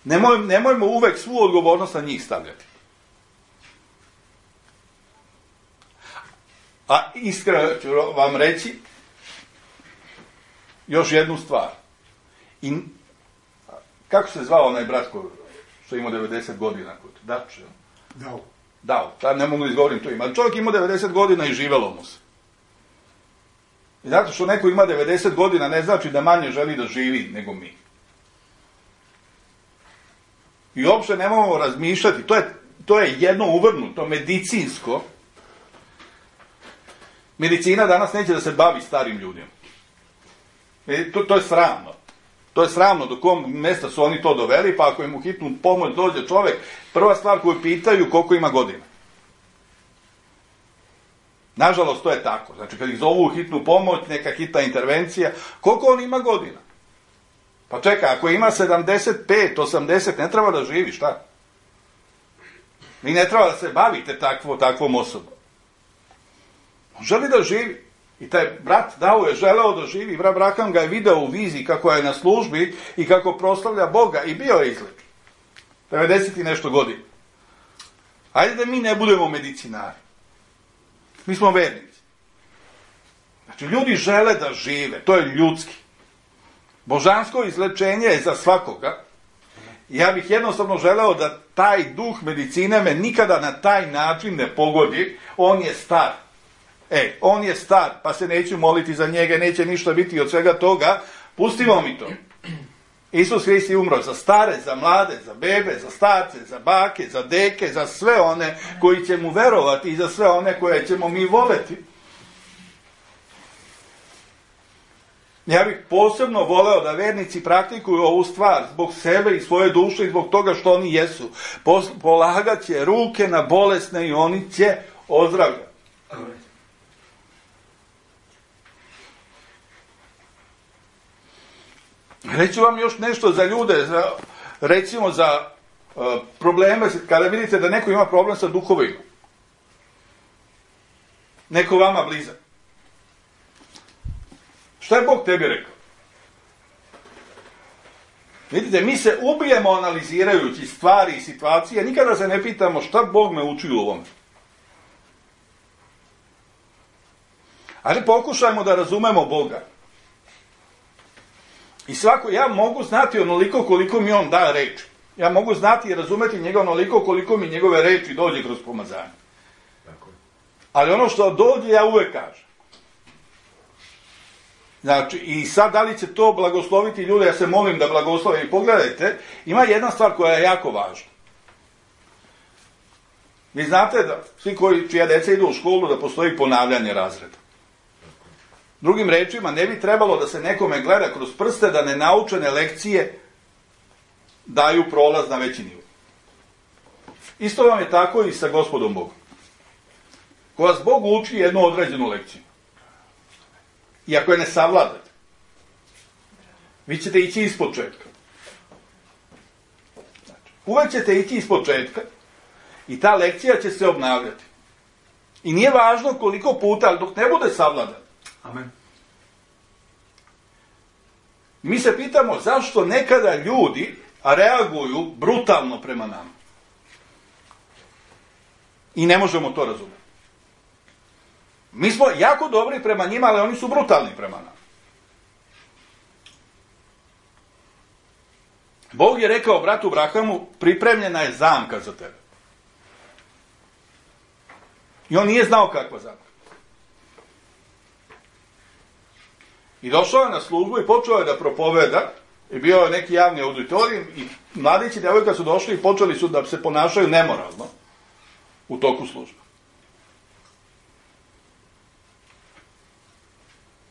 Nemoj, nemojmo uvek svu odgovornost na njih stavljati. A iskreno ću vam reći još jednu stvar. I, kako se zvao onaj brat što ima devedeset godina? Dače. Dao. Dao. Sad ne mogu da izgovorim to ime. Ali čovjek ima devedeset godina i živelo mu se. I zato što neko ima devedeset godina ne znači da manje želi da živi nego mi. I uopšte nemamo razmišljati, to je, to je jedno uvrnuto, medicinsko. Medicina danas neće da se bavi starim ljudima. E, to, to je sramno. To je sramno do kom mesta su oni to doveli, pa ako im u hitnu pomoć dođe čovek, prva stvar koju pitaju koliko ima godina. Nažalost, to je tako. Znači, kad ih zovu u hitnu pomoć, neka hitna intervencija, koliko on ima godina? Pa čekaj, ako ima sedamdeset pet, osamdeset, ne treba da živi, šta? Vi ne treba da se bavite takvo, takvom osobom. On želi da živi. I taj brat Dao je želeo da živi. Brat Braham ga je video u viziji kako je na službi i kako proslavlja Boga. I bio je izlečen. devedeset i nešto godina. Hajde da mi ne budemo medicinari. Mi smo vernici. Znači, ljudi žele da žive. To je ljudski. Božansko izlečenje je za svakoga. Ja bih jednostavno želeo da taj duh medicine me nikada na taj način ne pogodi. On je star. E, on je star, pa se neću moliti za njega, neće ništa biti od svega toga. Pustimo mi to. Isus Hrist je umro za stare, za mlade, za bebe, za starce, za bake, za deke, za sve one koji će mu verovati i za sve one koje ćemo mi voleti. Ja bih posebno voleo da vernici praktikuju ovu stvar zbog sebe i svoje duše i zbog toga što oni jesu. Polagat će ruke na bolesne i oni će ozdravljati. Reću vam još nešto za ljude, za, recimo za uh, probleme, kada vidite da neko ima problem sa duhovima. Neko vama blizak. Šta je Bog tebi rekao? Vidite, mi se ubijemo analizirajući stvari i situacije, nikada se ne pitamo šta Bog me uči u ovome. Ali pokušajmo da razumemo Boga. I svako, ja mogu znati onoliko koliko mi on da reči. Ja mogu znati i razumeti njega onoliko koliko mi njegove reči dođe kroz pomazanje. Ali ono što dođe, ja uvek kažem. Znači, i sad da li će to blagosloviti ljude, ja se molim da blagoslove. I pogledajte, ima jedna stvar koja je jako važna. Vi znate da svi koji, čija deca idu u školu, da postoji ponavljanje razreda. Drugim rečima, ne bi trebalo da se nekome gleda kroz prste da nenaučene lekcije daju prolaz na veći nivo. Isto vam je tako i sa Gospodom Bogom. Ko vas Bog uči jednu određenu lekciju. I ako je ne savladate, vi ćete ići iz početka. Znači, uvek ćete ići iz početka i ta lekcija će se obnavljati. I nije važno koliko puta, ali dok ne bude savladan. Amen. Mi se pitamo zašto nekada ljudi reaguju brutalno prema nama. I ne možemo to razumjeti. Mi smo jako dobri prema njima, ali oni su brutalni prema nama. Bog je rekao bratu Brahamu, pripremljena je zamka za tebe. I on nije znao kakva zamka. I došao je na službu i počeo je da propoveda, i bio je neki javni auditorijum, i mladići i djevojka su došli i počeli su da se ponašaju nemoralno u toku službe.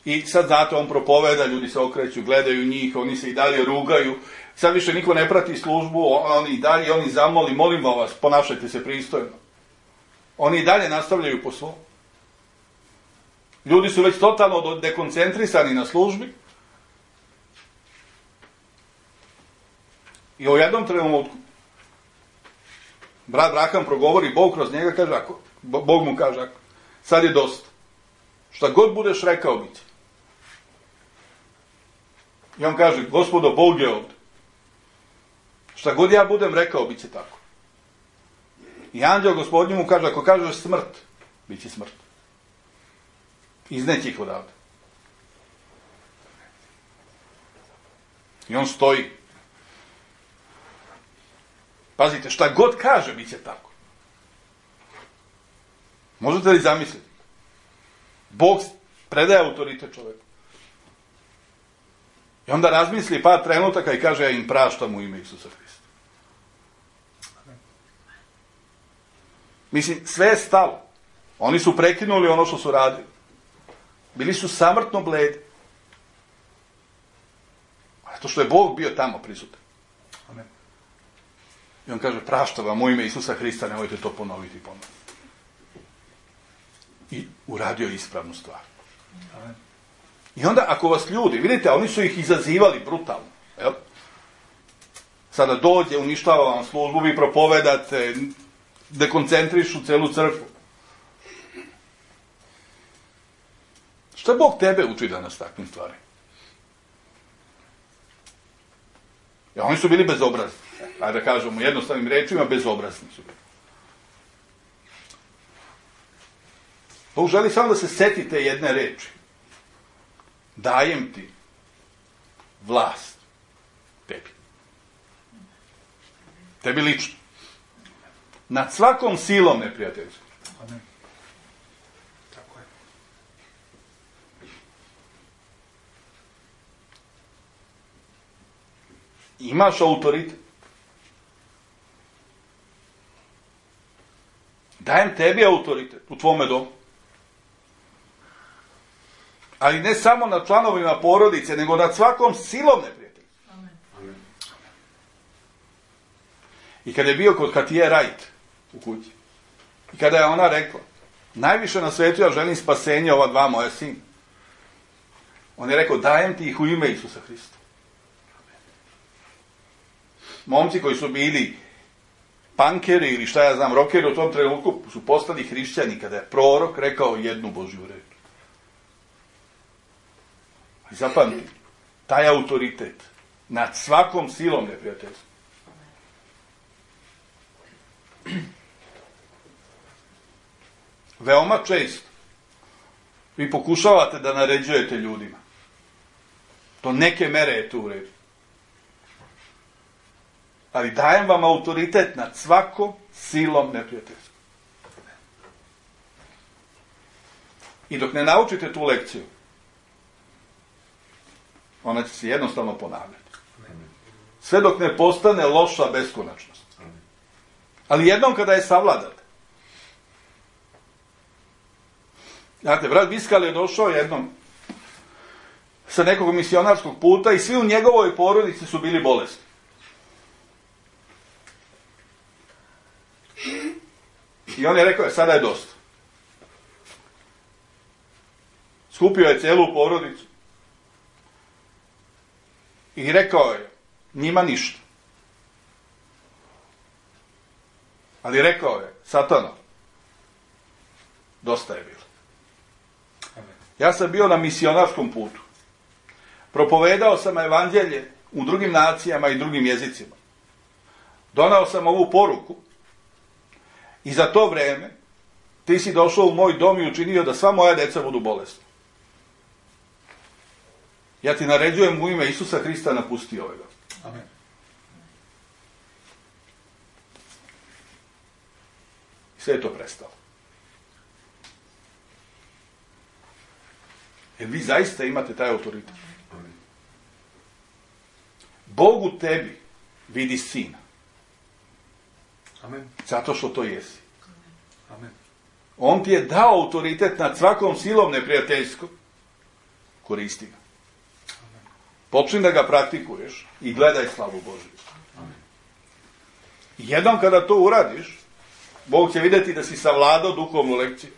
I sad, znate, on propoveda, ljudi se okreću, gledaju njih, oni se i dalje rugaju, sad više niko ne prati službu, oni i dalje, oni zamoli, molimo vas, ponašajte se pristojno. Oni i dalje nastavljaju po svom. Ljudi su već totalno dekoncentrisani na službi. I u jednom trenutku brat Braham progovori, Bog kroz njega kaže, ako, Bog mu kaže, ako, sad je dosta. Šta god budeš rekao, bit će. I on kaže, Gospodo, Bog je ovdje. Šta god ja budem rekao, bit će tako. I anđeo Gospodnju mu kaže, ako kažeš smrt, bit će smrt. Izneći ih odavde. I on stoji. Pazite, šta god kaže, bit će tako. Možete li zamisliti? Bog predaje autoritet čoveku. I onda razmisli par trenutaka i kaže, ja im praštam u ime Isusa Hrista. Mislim, sve je stalo. Oni su prekinuli ono što su radili. Bili su samrtno bledi. Zato što je Bog bio tamo prisutan. Amen. I on kaže, praštam vam u ime Isusa Hrista, nemojte to ponoviti ponovno. i uradio ispravnu stvar. I onda ako vas ljudi, vidite, oni su ih izazivali brutalno. Jel? Sada dođe, uništava vam službu, vi propovedate, dekoncentrišu celu crkvu. Šta Bog tebe uči danas takvim stvarima? Ja, oni su bili bezobrazni. Ajde da kažemo jednostavnim rečima, bezobrazni su bili. Bog želi samo da se setite jedne reči. Dajem ti vlast tebi. Tebi lično. Nad svakom silom neprijateljskom. Amen. Tako je. Imaš autoritet. Dajem tebi autoritet u tvome domu. Ali ne samo nad članovima porodice, nego nad svakom silom neprijateljstva. Amen. I kada je bio kod Katije Rajt u kući, i kada je ona rekla, najviše na svetu ja želim spasenje ova dva moja sina. On je rekao, dajem ti ih u ime Isusa Hrista. Momci koji su bili pankeri ili šta ja znam, rokeri u tom trenutku su postali hrišćani kada je prorok rekao jednu Božju reč. I zapamti, taj autoritet nad svakom silom neprijateljstva. Veoma često vi pokušavate da naređujete ljudima. Do neke mere je to u redu. Ali dajem vam autoritet nad svakom silom neprijateljstva. I dok ne naučite tu lekciju, ona će se jednostavno ponavljati. Sve dok ne postane loša beskonačnost. Ali jednom kada je savladate. Znate, brat Viskal je došao jednom sa nekog misionarskog puta i svi u njegovoj porodici su bili bolesni. I on je rekao, sada je dosta. Skupio je celu porodicu i rekao je, njima ništa. Ali rekao je, Satano, dosta je bilo. Ja sam bio na misionarskom putu. Propovedao sam evanđelje u drugim nacijama i drugim jezicima. Donao sam ovu poruku i za to vreme ti si došao u moj dom i učinio da sva moja deca budu bolesna. Ja ti naređujem u ime Isusa Hrista napusti ovega. Amen. I sve je to prestalo. Jer vi zaista imate taj autoritet. Amen. Bog u tebi vidi sina. Amen. Zato što to jesi. Amen. On ti je dao autoritet nad svakom silom neprijateljskom. Koristi ga. Počni da ga praktikuješ i gledaj slavu Božju. Jednom kada to uradiš, Bog će vidjeti da si savladao duhovnu lekciju.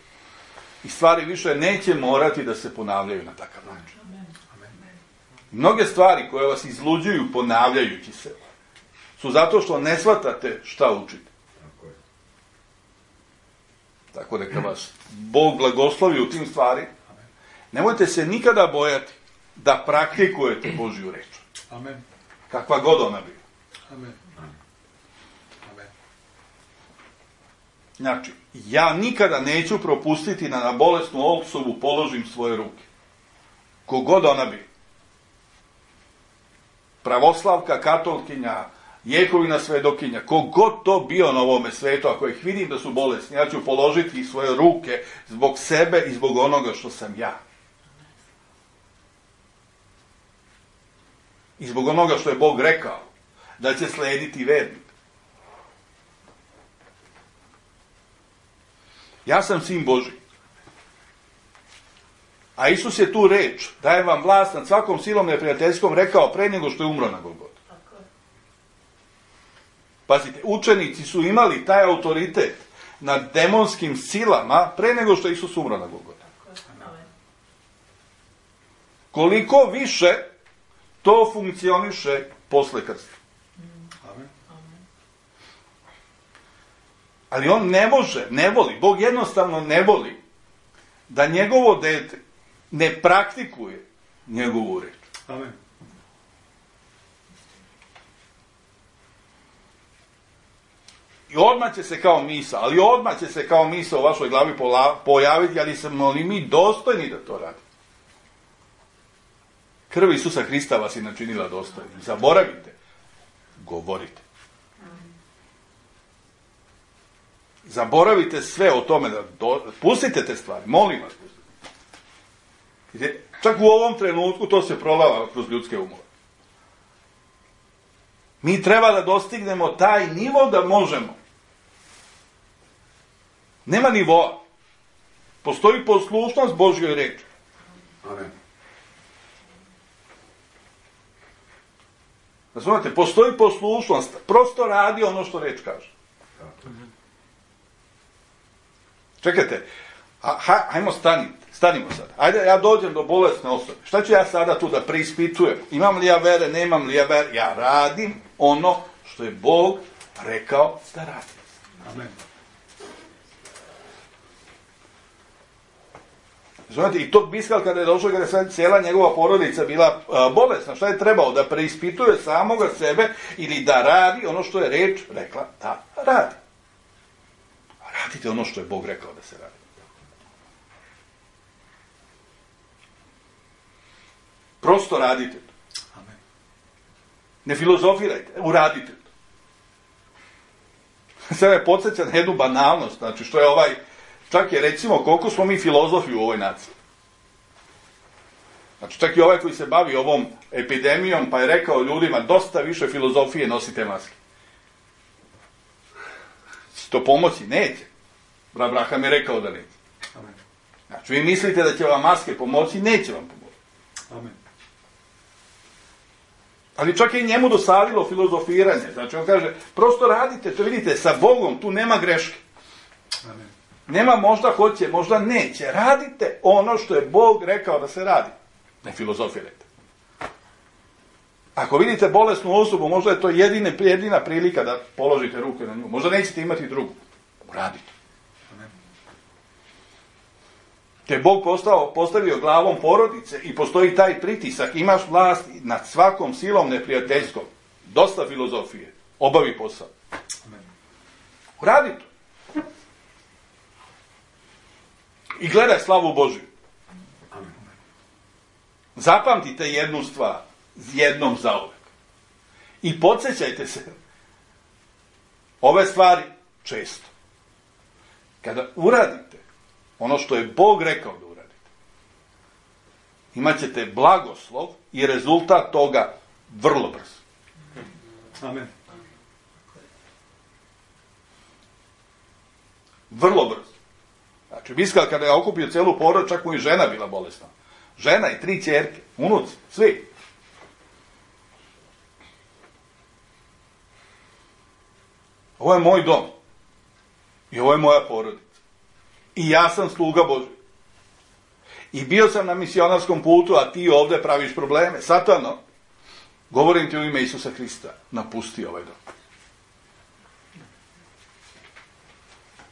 I stvari više neće morati da se ponavljaju na takav način. Mnoge stvari koje vas izluđuju ponavljajući se, su zato što ne shvatate šta učite. Tako neka vas Bog blagoslovi u tim stvari. Nemojte se nikada bojati da praktikujete Božju reč. Amen. Kakva god ona bila. Amen. Amen. Znači, ja nikada neću propustiti da na bolesnu osobu položim svoje ruke. Kogod ona bi. Pravoslavka, katolkinja, Jehovina svedokinja, kogod to bio na ovome svetu, ako ih vidim da su bolesni, ja ću položiti svoje ruke zbog sebe i zbog onoga što sam ja. I zbog onoga što je Bog rekao, da će slediti vernik. Ja sam sin Božji. A Isus je tu reč, daje vam vlast nad svakom silom neprijateljskom, rekao pre nego što je umro na Golgoti. Pazite, učenici su imali taj autoritet nad demonskim silama pre nego što je Isus umro na Golgoti. Koliko više to funkcioniše posle krsta. Ali on ne može, ne voli, Bog jednostavno ne voli da njegovo dete ne praktikuje njegovu reč. Amen. I odmah će se kao misa, ali odmah će se kao misa u vašoj glavi pojaviti, ali smo li mi dostojni da to radimo? Krv Isusa Hrista vas je načinila dostojnim. Zaboravite, govorite. Zaboravite sve o tome, da do... pustite te stvari, molim vas. Pustite. Čak u ovom trenutku to se prolava kroz ljudske umove. Mi treba da dostignemo taj nivo da možemo. Nema nivoa. Postoji poslušnost Božjoj reči. Amen. Razumete, postoji poslušnost. Prosto radi ono što reč kaže. Čekajte, a, ha, hajmo staniti, stanimo sad. Ajde, ja dođem do bolesne osobe. Šta ću ja sada tu da preispitujem? Imam li ja vere, nemam li ja vere? Ja radim ono što je Bog rekao da radim. Amen. Znate, i tog Biskal kada je došao, kada je sad cijela njegova porodica bila a, bolesna, šta je trebao? Da preispituje samoga sebe ili da radi ono što je reč rekla da radi. Radite ono što je Bog rekao da se radi. Prosto radite to. Amen. Ne filozofirajte, uradite to. Sve me podsjeća na jednu banalnost, znači što je ovaj, čak je recimo koliko smo mi filozofi u ovoj naciji. Znači čak i ovaj koji se bavi ovom epidemijom pa je rekao ljudima dosta više filozofije nosite maske. To pomoći neće. Abraham je rekao da neće. Amen. Znači, vi mislite da će vam maske pomoći, neće vam pomoći. Amen. Ali čak je i njemu dosadilo filozofiranje. Znači, on kaže, prosto radite, to vidite, sa Bogom tu nema greške. Amen. Nema možda hoće, možda neće. Radite ono što je Bog rekao da se radi. Ne filozofirajte. Ako vidite bolesnu osobu, možda je to jedine, jedina prilika da položite ruke na nju. Možda nećete imati drugu. Uradite. Amen. Te Bog postao, postavio glavom porodice i postoji taj pritisak. Imaš vlast nad svakom silom neprijateljskom. Dosta filozofije. Obavi posao. Amen. Uradi to. I gledaj slavu Božju. Amen. Zapamtite jednu stvar. Jednom zauvek. I podsjećajte se ove stvari često. Kada uradite ono što je Bog rekao da uradite, imat ćete blagoslov i rezultat toga vrlo brzo. Amen. Vrlo brzo. Znači, Biskal kada je okupio celu porod, čak mu i žena bila bolesna. Žena i tri ćerke, unuci, svi. Ovo je moj dom. I ovo je moja porodica. I ja sam sluga Božji. I bio sam na misionarskom putu, a ti ovdje praviš probleme. Satano, govorim ti u ime Isusa Hrista, napusti ovaj dom.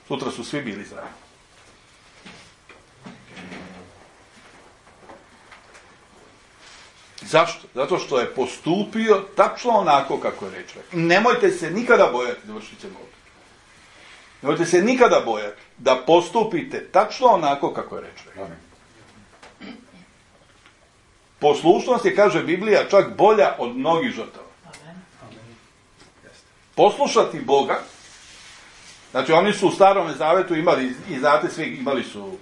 Sutra su svi bili zdravi. Zašto? Zato što je postupio tačno onako kako je reč rekao. Nemojte se nikada bojati, završit ćemo ovdje. Nemojte se nikada bojati da postupite tačno onako kako je reč rekao. Poslušnost je, kaže Biblija, čak bolja od mnogih žrtava. Poslušati Boga, znači oni su u Starom Zavetu imali, i znate svi, imali su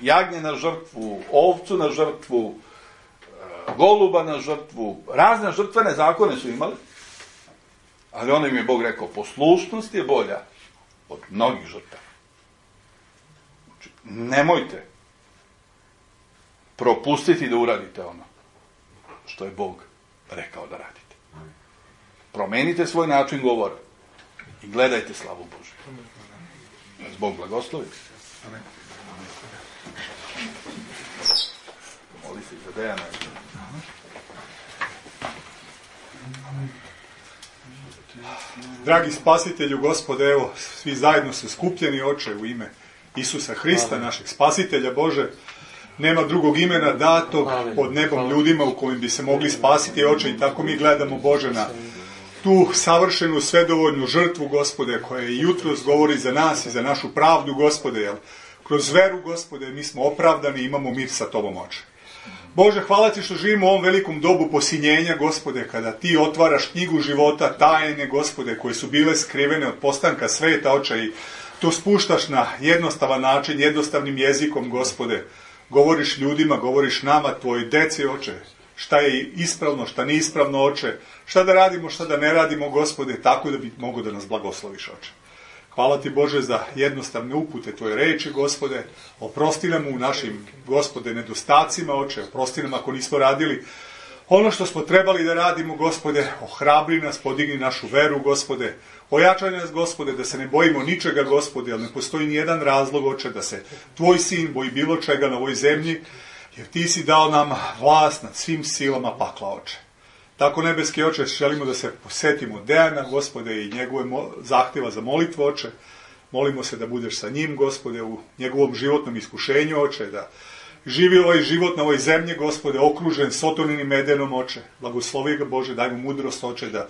jagnje na žrtvu, ovcu na žrtvu, goluba na žrtvu, razne žrtvene zakone su imali, ali onda im je Bog rekao, poslušnost je bolja od mnogih žrtava. Znači, nemojte propustiti da uradite ono što je Bog rekao da radite. Promenite svoj način govora i gledajte slavu Božju. Nas Bog blagoslovi. Amen. Moli se za Dejana. Dragi spasitelju, Gospode, evo, svi zajedno su skupljeni, Oče, u ime Isusa Hrista, našeg spasitelja, Bože. Nema drugog imena datog pod nebom ljudima u kojim bi se mogli spasiti, Oče, i tako mi gledamo, Bože, na tu savršenu, svedovoljnu žrtvu, Gospode, koja i jutros govori za nas i za našu pravdu, Gospode, jer kroz veru, Gospode, mi smo opravdani i imamo mir sa Tobom, Oče. Bože, hvala Ti što živimo u ovom velikom dobu posinjenja, Gospode, kada Ti otvaraš knjigu života, tajne, Gospode, koje su bile skrivene od postanka sveta, Oče, i to spuštaš na jednostavan način, jednostavnim jezikom, Gospode. Govoriš ljudima, govoriš nama, Tvoj deci, Oče, šta je ispravno, šta nije ispravno, Oče, šta da radimo, šta da ne radimo, Gospode, tako da bi mogo da nas blagosloviš, Oče. Hvala Ti, Bože, za jednostavne upute Tvoje reči, Gospode. Oprosti nam u našim, Gospode, nedostacima, Oče. Oprosti nam ako nismo radili ono što smo trebali da radimo, Gospode. Ohrabri nas, podigni našu veru, Gospode. Ojačaj nas, Gospode, da se ne bojimo ničega, Gospode, jer ne postoji ni jedan razlog, Oče, da se Tvoj sin boji bilo čega na ovoj zemlji, jer Ti si dao nam vlast nad svim silama pakla, Oče. Tako, nebeski Oče, želimo da se posetimo Dejana, Gospode, i njegove zahtjeva za molitvu, Oče. Molimo se da budeš sa njim, Gospode, u njegovom životnom iskušenju, Oče, da živi ovaj život na ovoj zemlji, Gospode, okružen sotoninim medenom, Oče. Blagoslovi ga, Bože, daj mu mudrost, Oče, da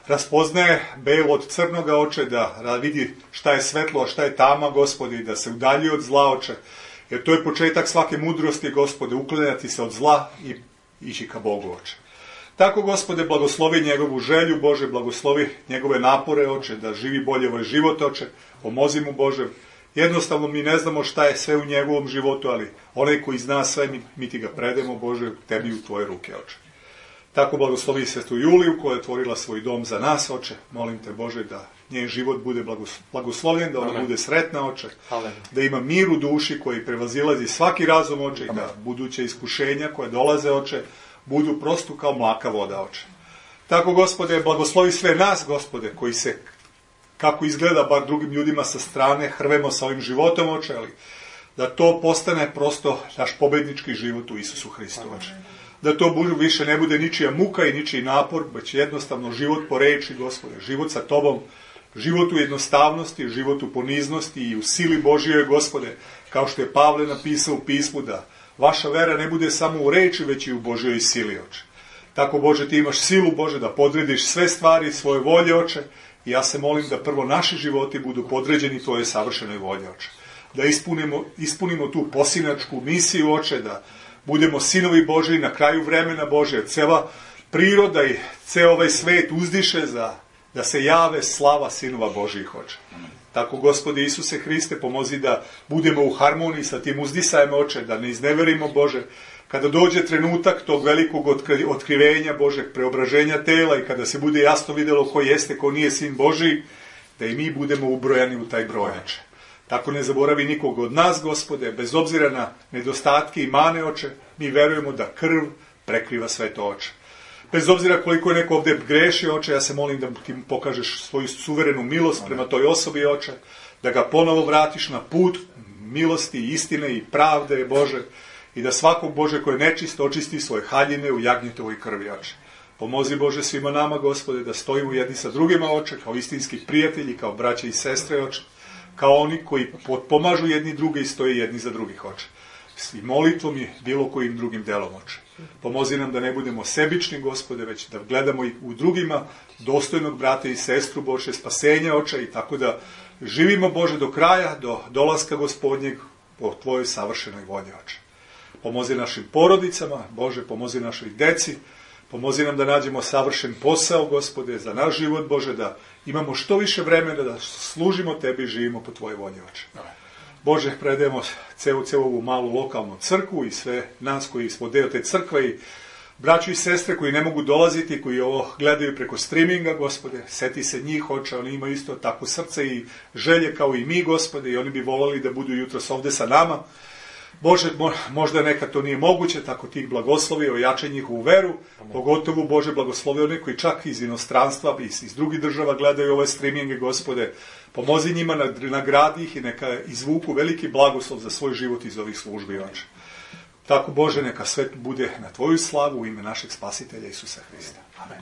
raspoznaje belo od crnoga, Oče, da vidi šta je svetlo, a šta je tama, Gospode, i da se udalji od zla, Oče. Jer to je početak svake mudrosti, Gospode, uklanjati se od zla i ići ka Bogu, Oče. Tako, Gospode, blagoslovi njegovu želju, Bože, blagoslovi njegove napore, Oče, da živi bolje ovaj život, Oče. Pomozi mu, Bože. Jednostavno mi ne znamo šta je sve u njegovom životu, ali onaj koji zna sve, mi, mi Ti ga predemo, Bože, Tebi u Tvoje ruke, Oče. Tako blagoslovi sestru Juliju, koja je otvorila svoj dom za nas, Oče. Molim Te, Bože, da njen život bude blagoslovljen, da ona Amen. Bude sretna, Oče. Amen. Da ima mir u duši koji prevazilazi svaki razum, Oče, Amen. I da buduće iskušenja koje dolaze, Oče, budu prosto kao mlaka voda, Oče. Tako, Gospode, blagoslovi sve nas, Gospode, koji se, kako izgleda bar drugim ljudima sa strane, hrvemo sa ovim životom, Oče, ali da to postane prosto naš pobednički život u Isusu Hristu, Oče. Da to više ne bude ničija muka i ničiji napor, već jednostavno život po reči, Gospode, život sa Tobom, život u jednostavnosti, život u poniznosti i u sili Božjoj, Gospode, kao što je Pavle napisao u pismu, da vaša vera ne bude samo u reči, već i u Božjoj sili, Oče. Tako, Bože, Ti imaš silu, Bože, da podrediš sve stvari svoje volje, Oče, i ja se molim da prvo naši životi budu podređeni Tvoje savršenoj volje, Oče. Da ispunimo, ispunimo tu posinačku misiju, Oče, da budemo sinovi Božji na kraju vremena, Bože, jer cela priroda i ceo ovaj svet uzdiše za da se jave slava sinova Božjih, Oče. Tako, Gospode Isuse Hriste, pomozi da budemo u harmoniji sa tim uzdisajem, Oče, da ne izneverimo, Bože, kada dođe trenutak tog velikog otkrivenja Božeg preobraženja tela i kada se bude jasno vidjelo ko jeste, ko nije sin Božji, da i mi budemo ubrojani u taj broj, Oče. Tako ne zaboravi nikog od nas, Gospode, bez obzira na nedostatke i mane, Oče, mi verujemo da krv prekriva sve to, Oče. Bez obzira koliko je neko ovdje greši, Oče, ja se molim da Ti pokažeš svoju suverenu milost prema toj osobi, Oče, da ga ponovo vratiš na put milosti, istine i pravde, Bože, i da svakog, Bože, koji je nečist, očisti svoje haljine u jagnjetovoj krvi, Oče. Pomozi, Bože, svima nama, Gospode, da stojimo jedni sa drugima, Oče, kao istinski prijatelji, kao braće i sestre, Oče, kao oni koji pomažu jedni druge i stoje jedni za drugih, Oče. I molitvom i bilo kojim drugim delom, Oče. Pomozi nam da ne budemo sebični, Gospode, već da gledamo i u drugima dostojnog brata i sestru, Bože, spasenja, Oče, i tako da živimo, Bože, do kraja, do dolaska Gospodnjeg po Tvojoj savršenoj volji, Oče. Pomozi našim porodicama, Bože, pomozi našoj deci, pomozi nam da nađemo savršen posao, Gospode, za naš život, Bože, da imamo što više vremena da služimo Tebi i živimo po Tvojoj volji, Oče. Bože, predajemo celu, celu ovu malu lokalnu crkvu i sve nas koji smo deo te crkve i braću i sestre koji ne mogu dolaziti, koji ovo gledaju preko streaminga, Gospode, seti se njih, Oče, oni imaju isto tako srce i želje kao i mi, Gospode, i oni bi volali da budu jutros ovde sa nama. Bože, možda nekad to nije moguće, tako ti ih blagoslovi, ojačaj njihovu veru, pogotovo Bože blagoslovi one koji čak iz inostranstva, iz, iz drugih država gledaju ove streaminge, Gospode, pomozi njima, nagradi ih i neka izvuku veliki blagoslov za svoj život iz ovih službi, Oče. Tako, Bože, neka sve bude na Tvoju slavu u ime našeg Spasitelja Isusa Hrista. Amen.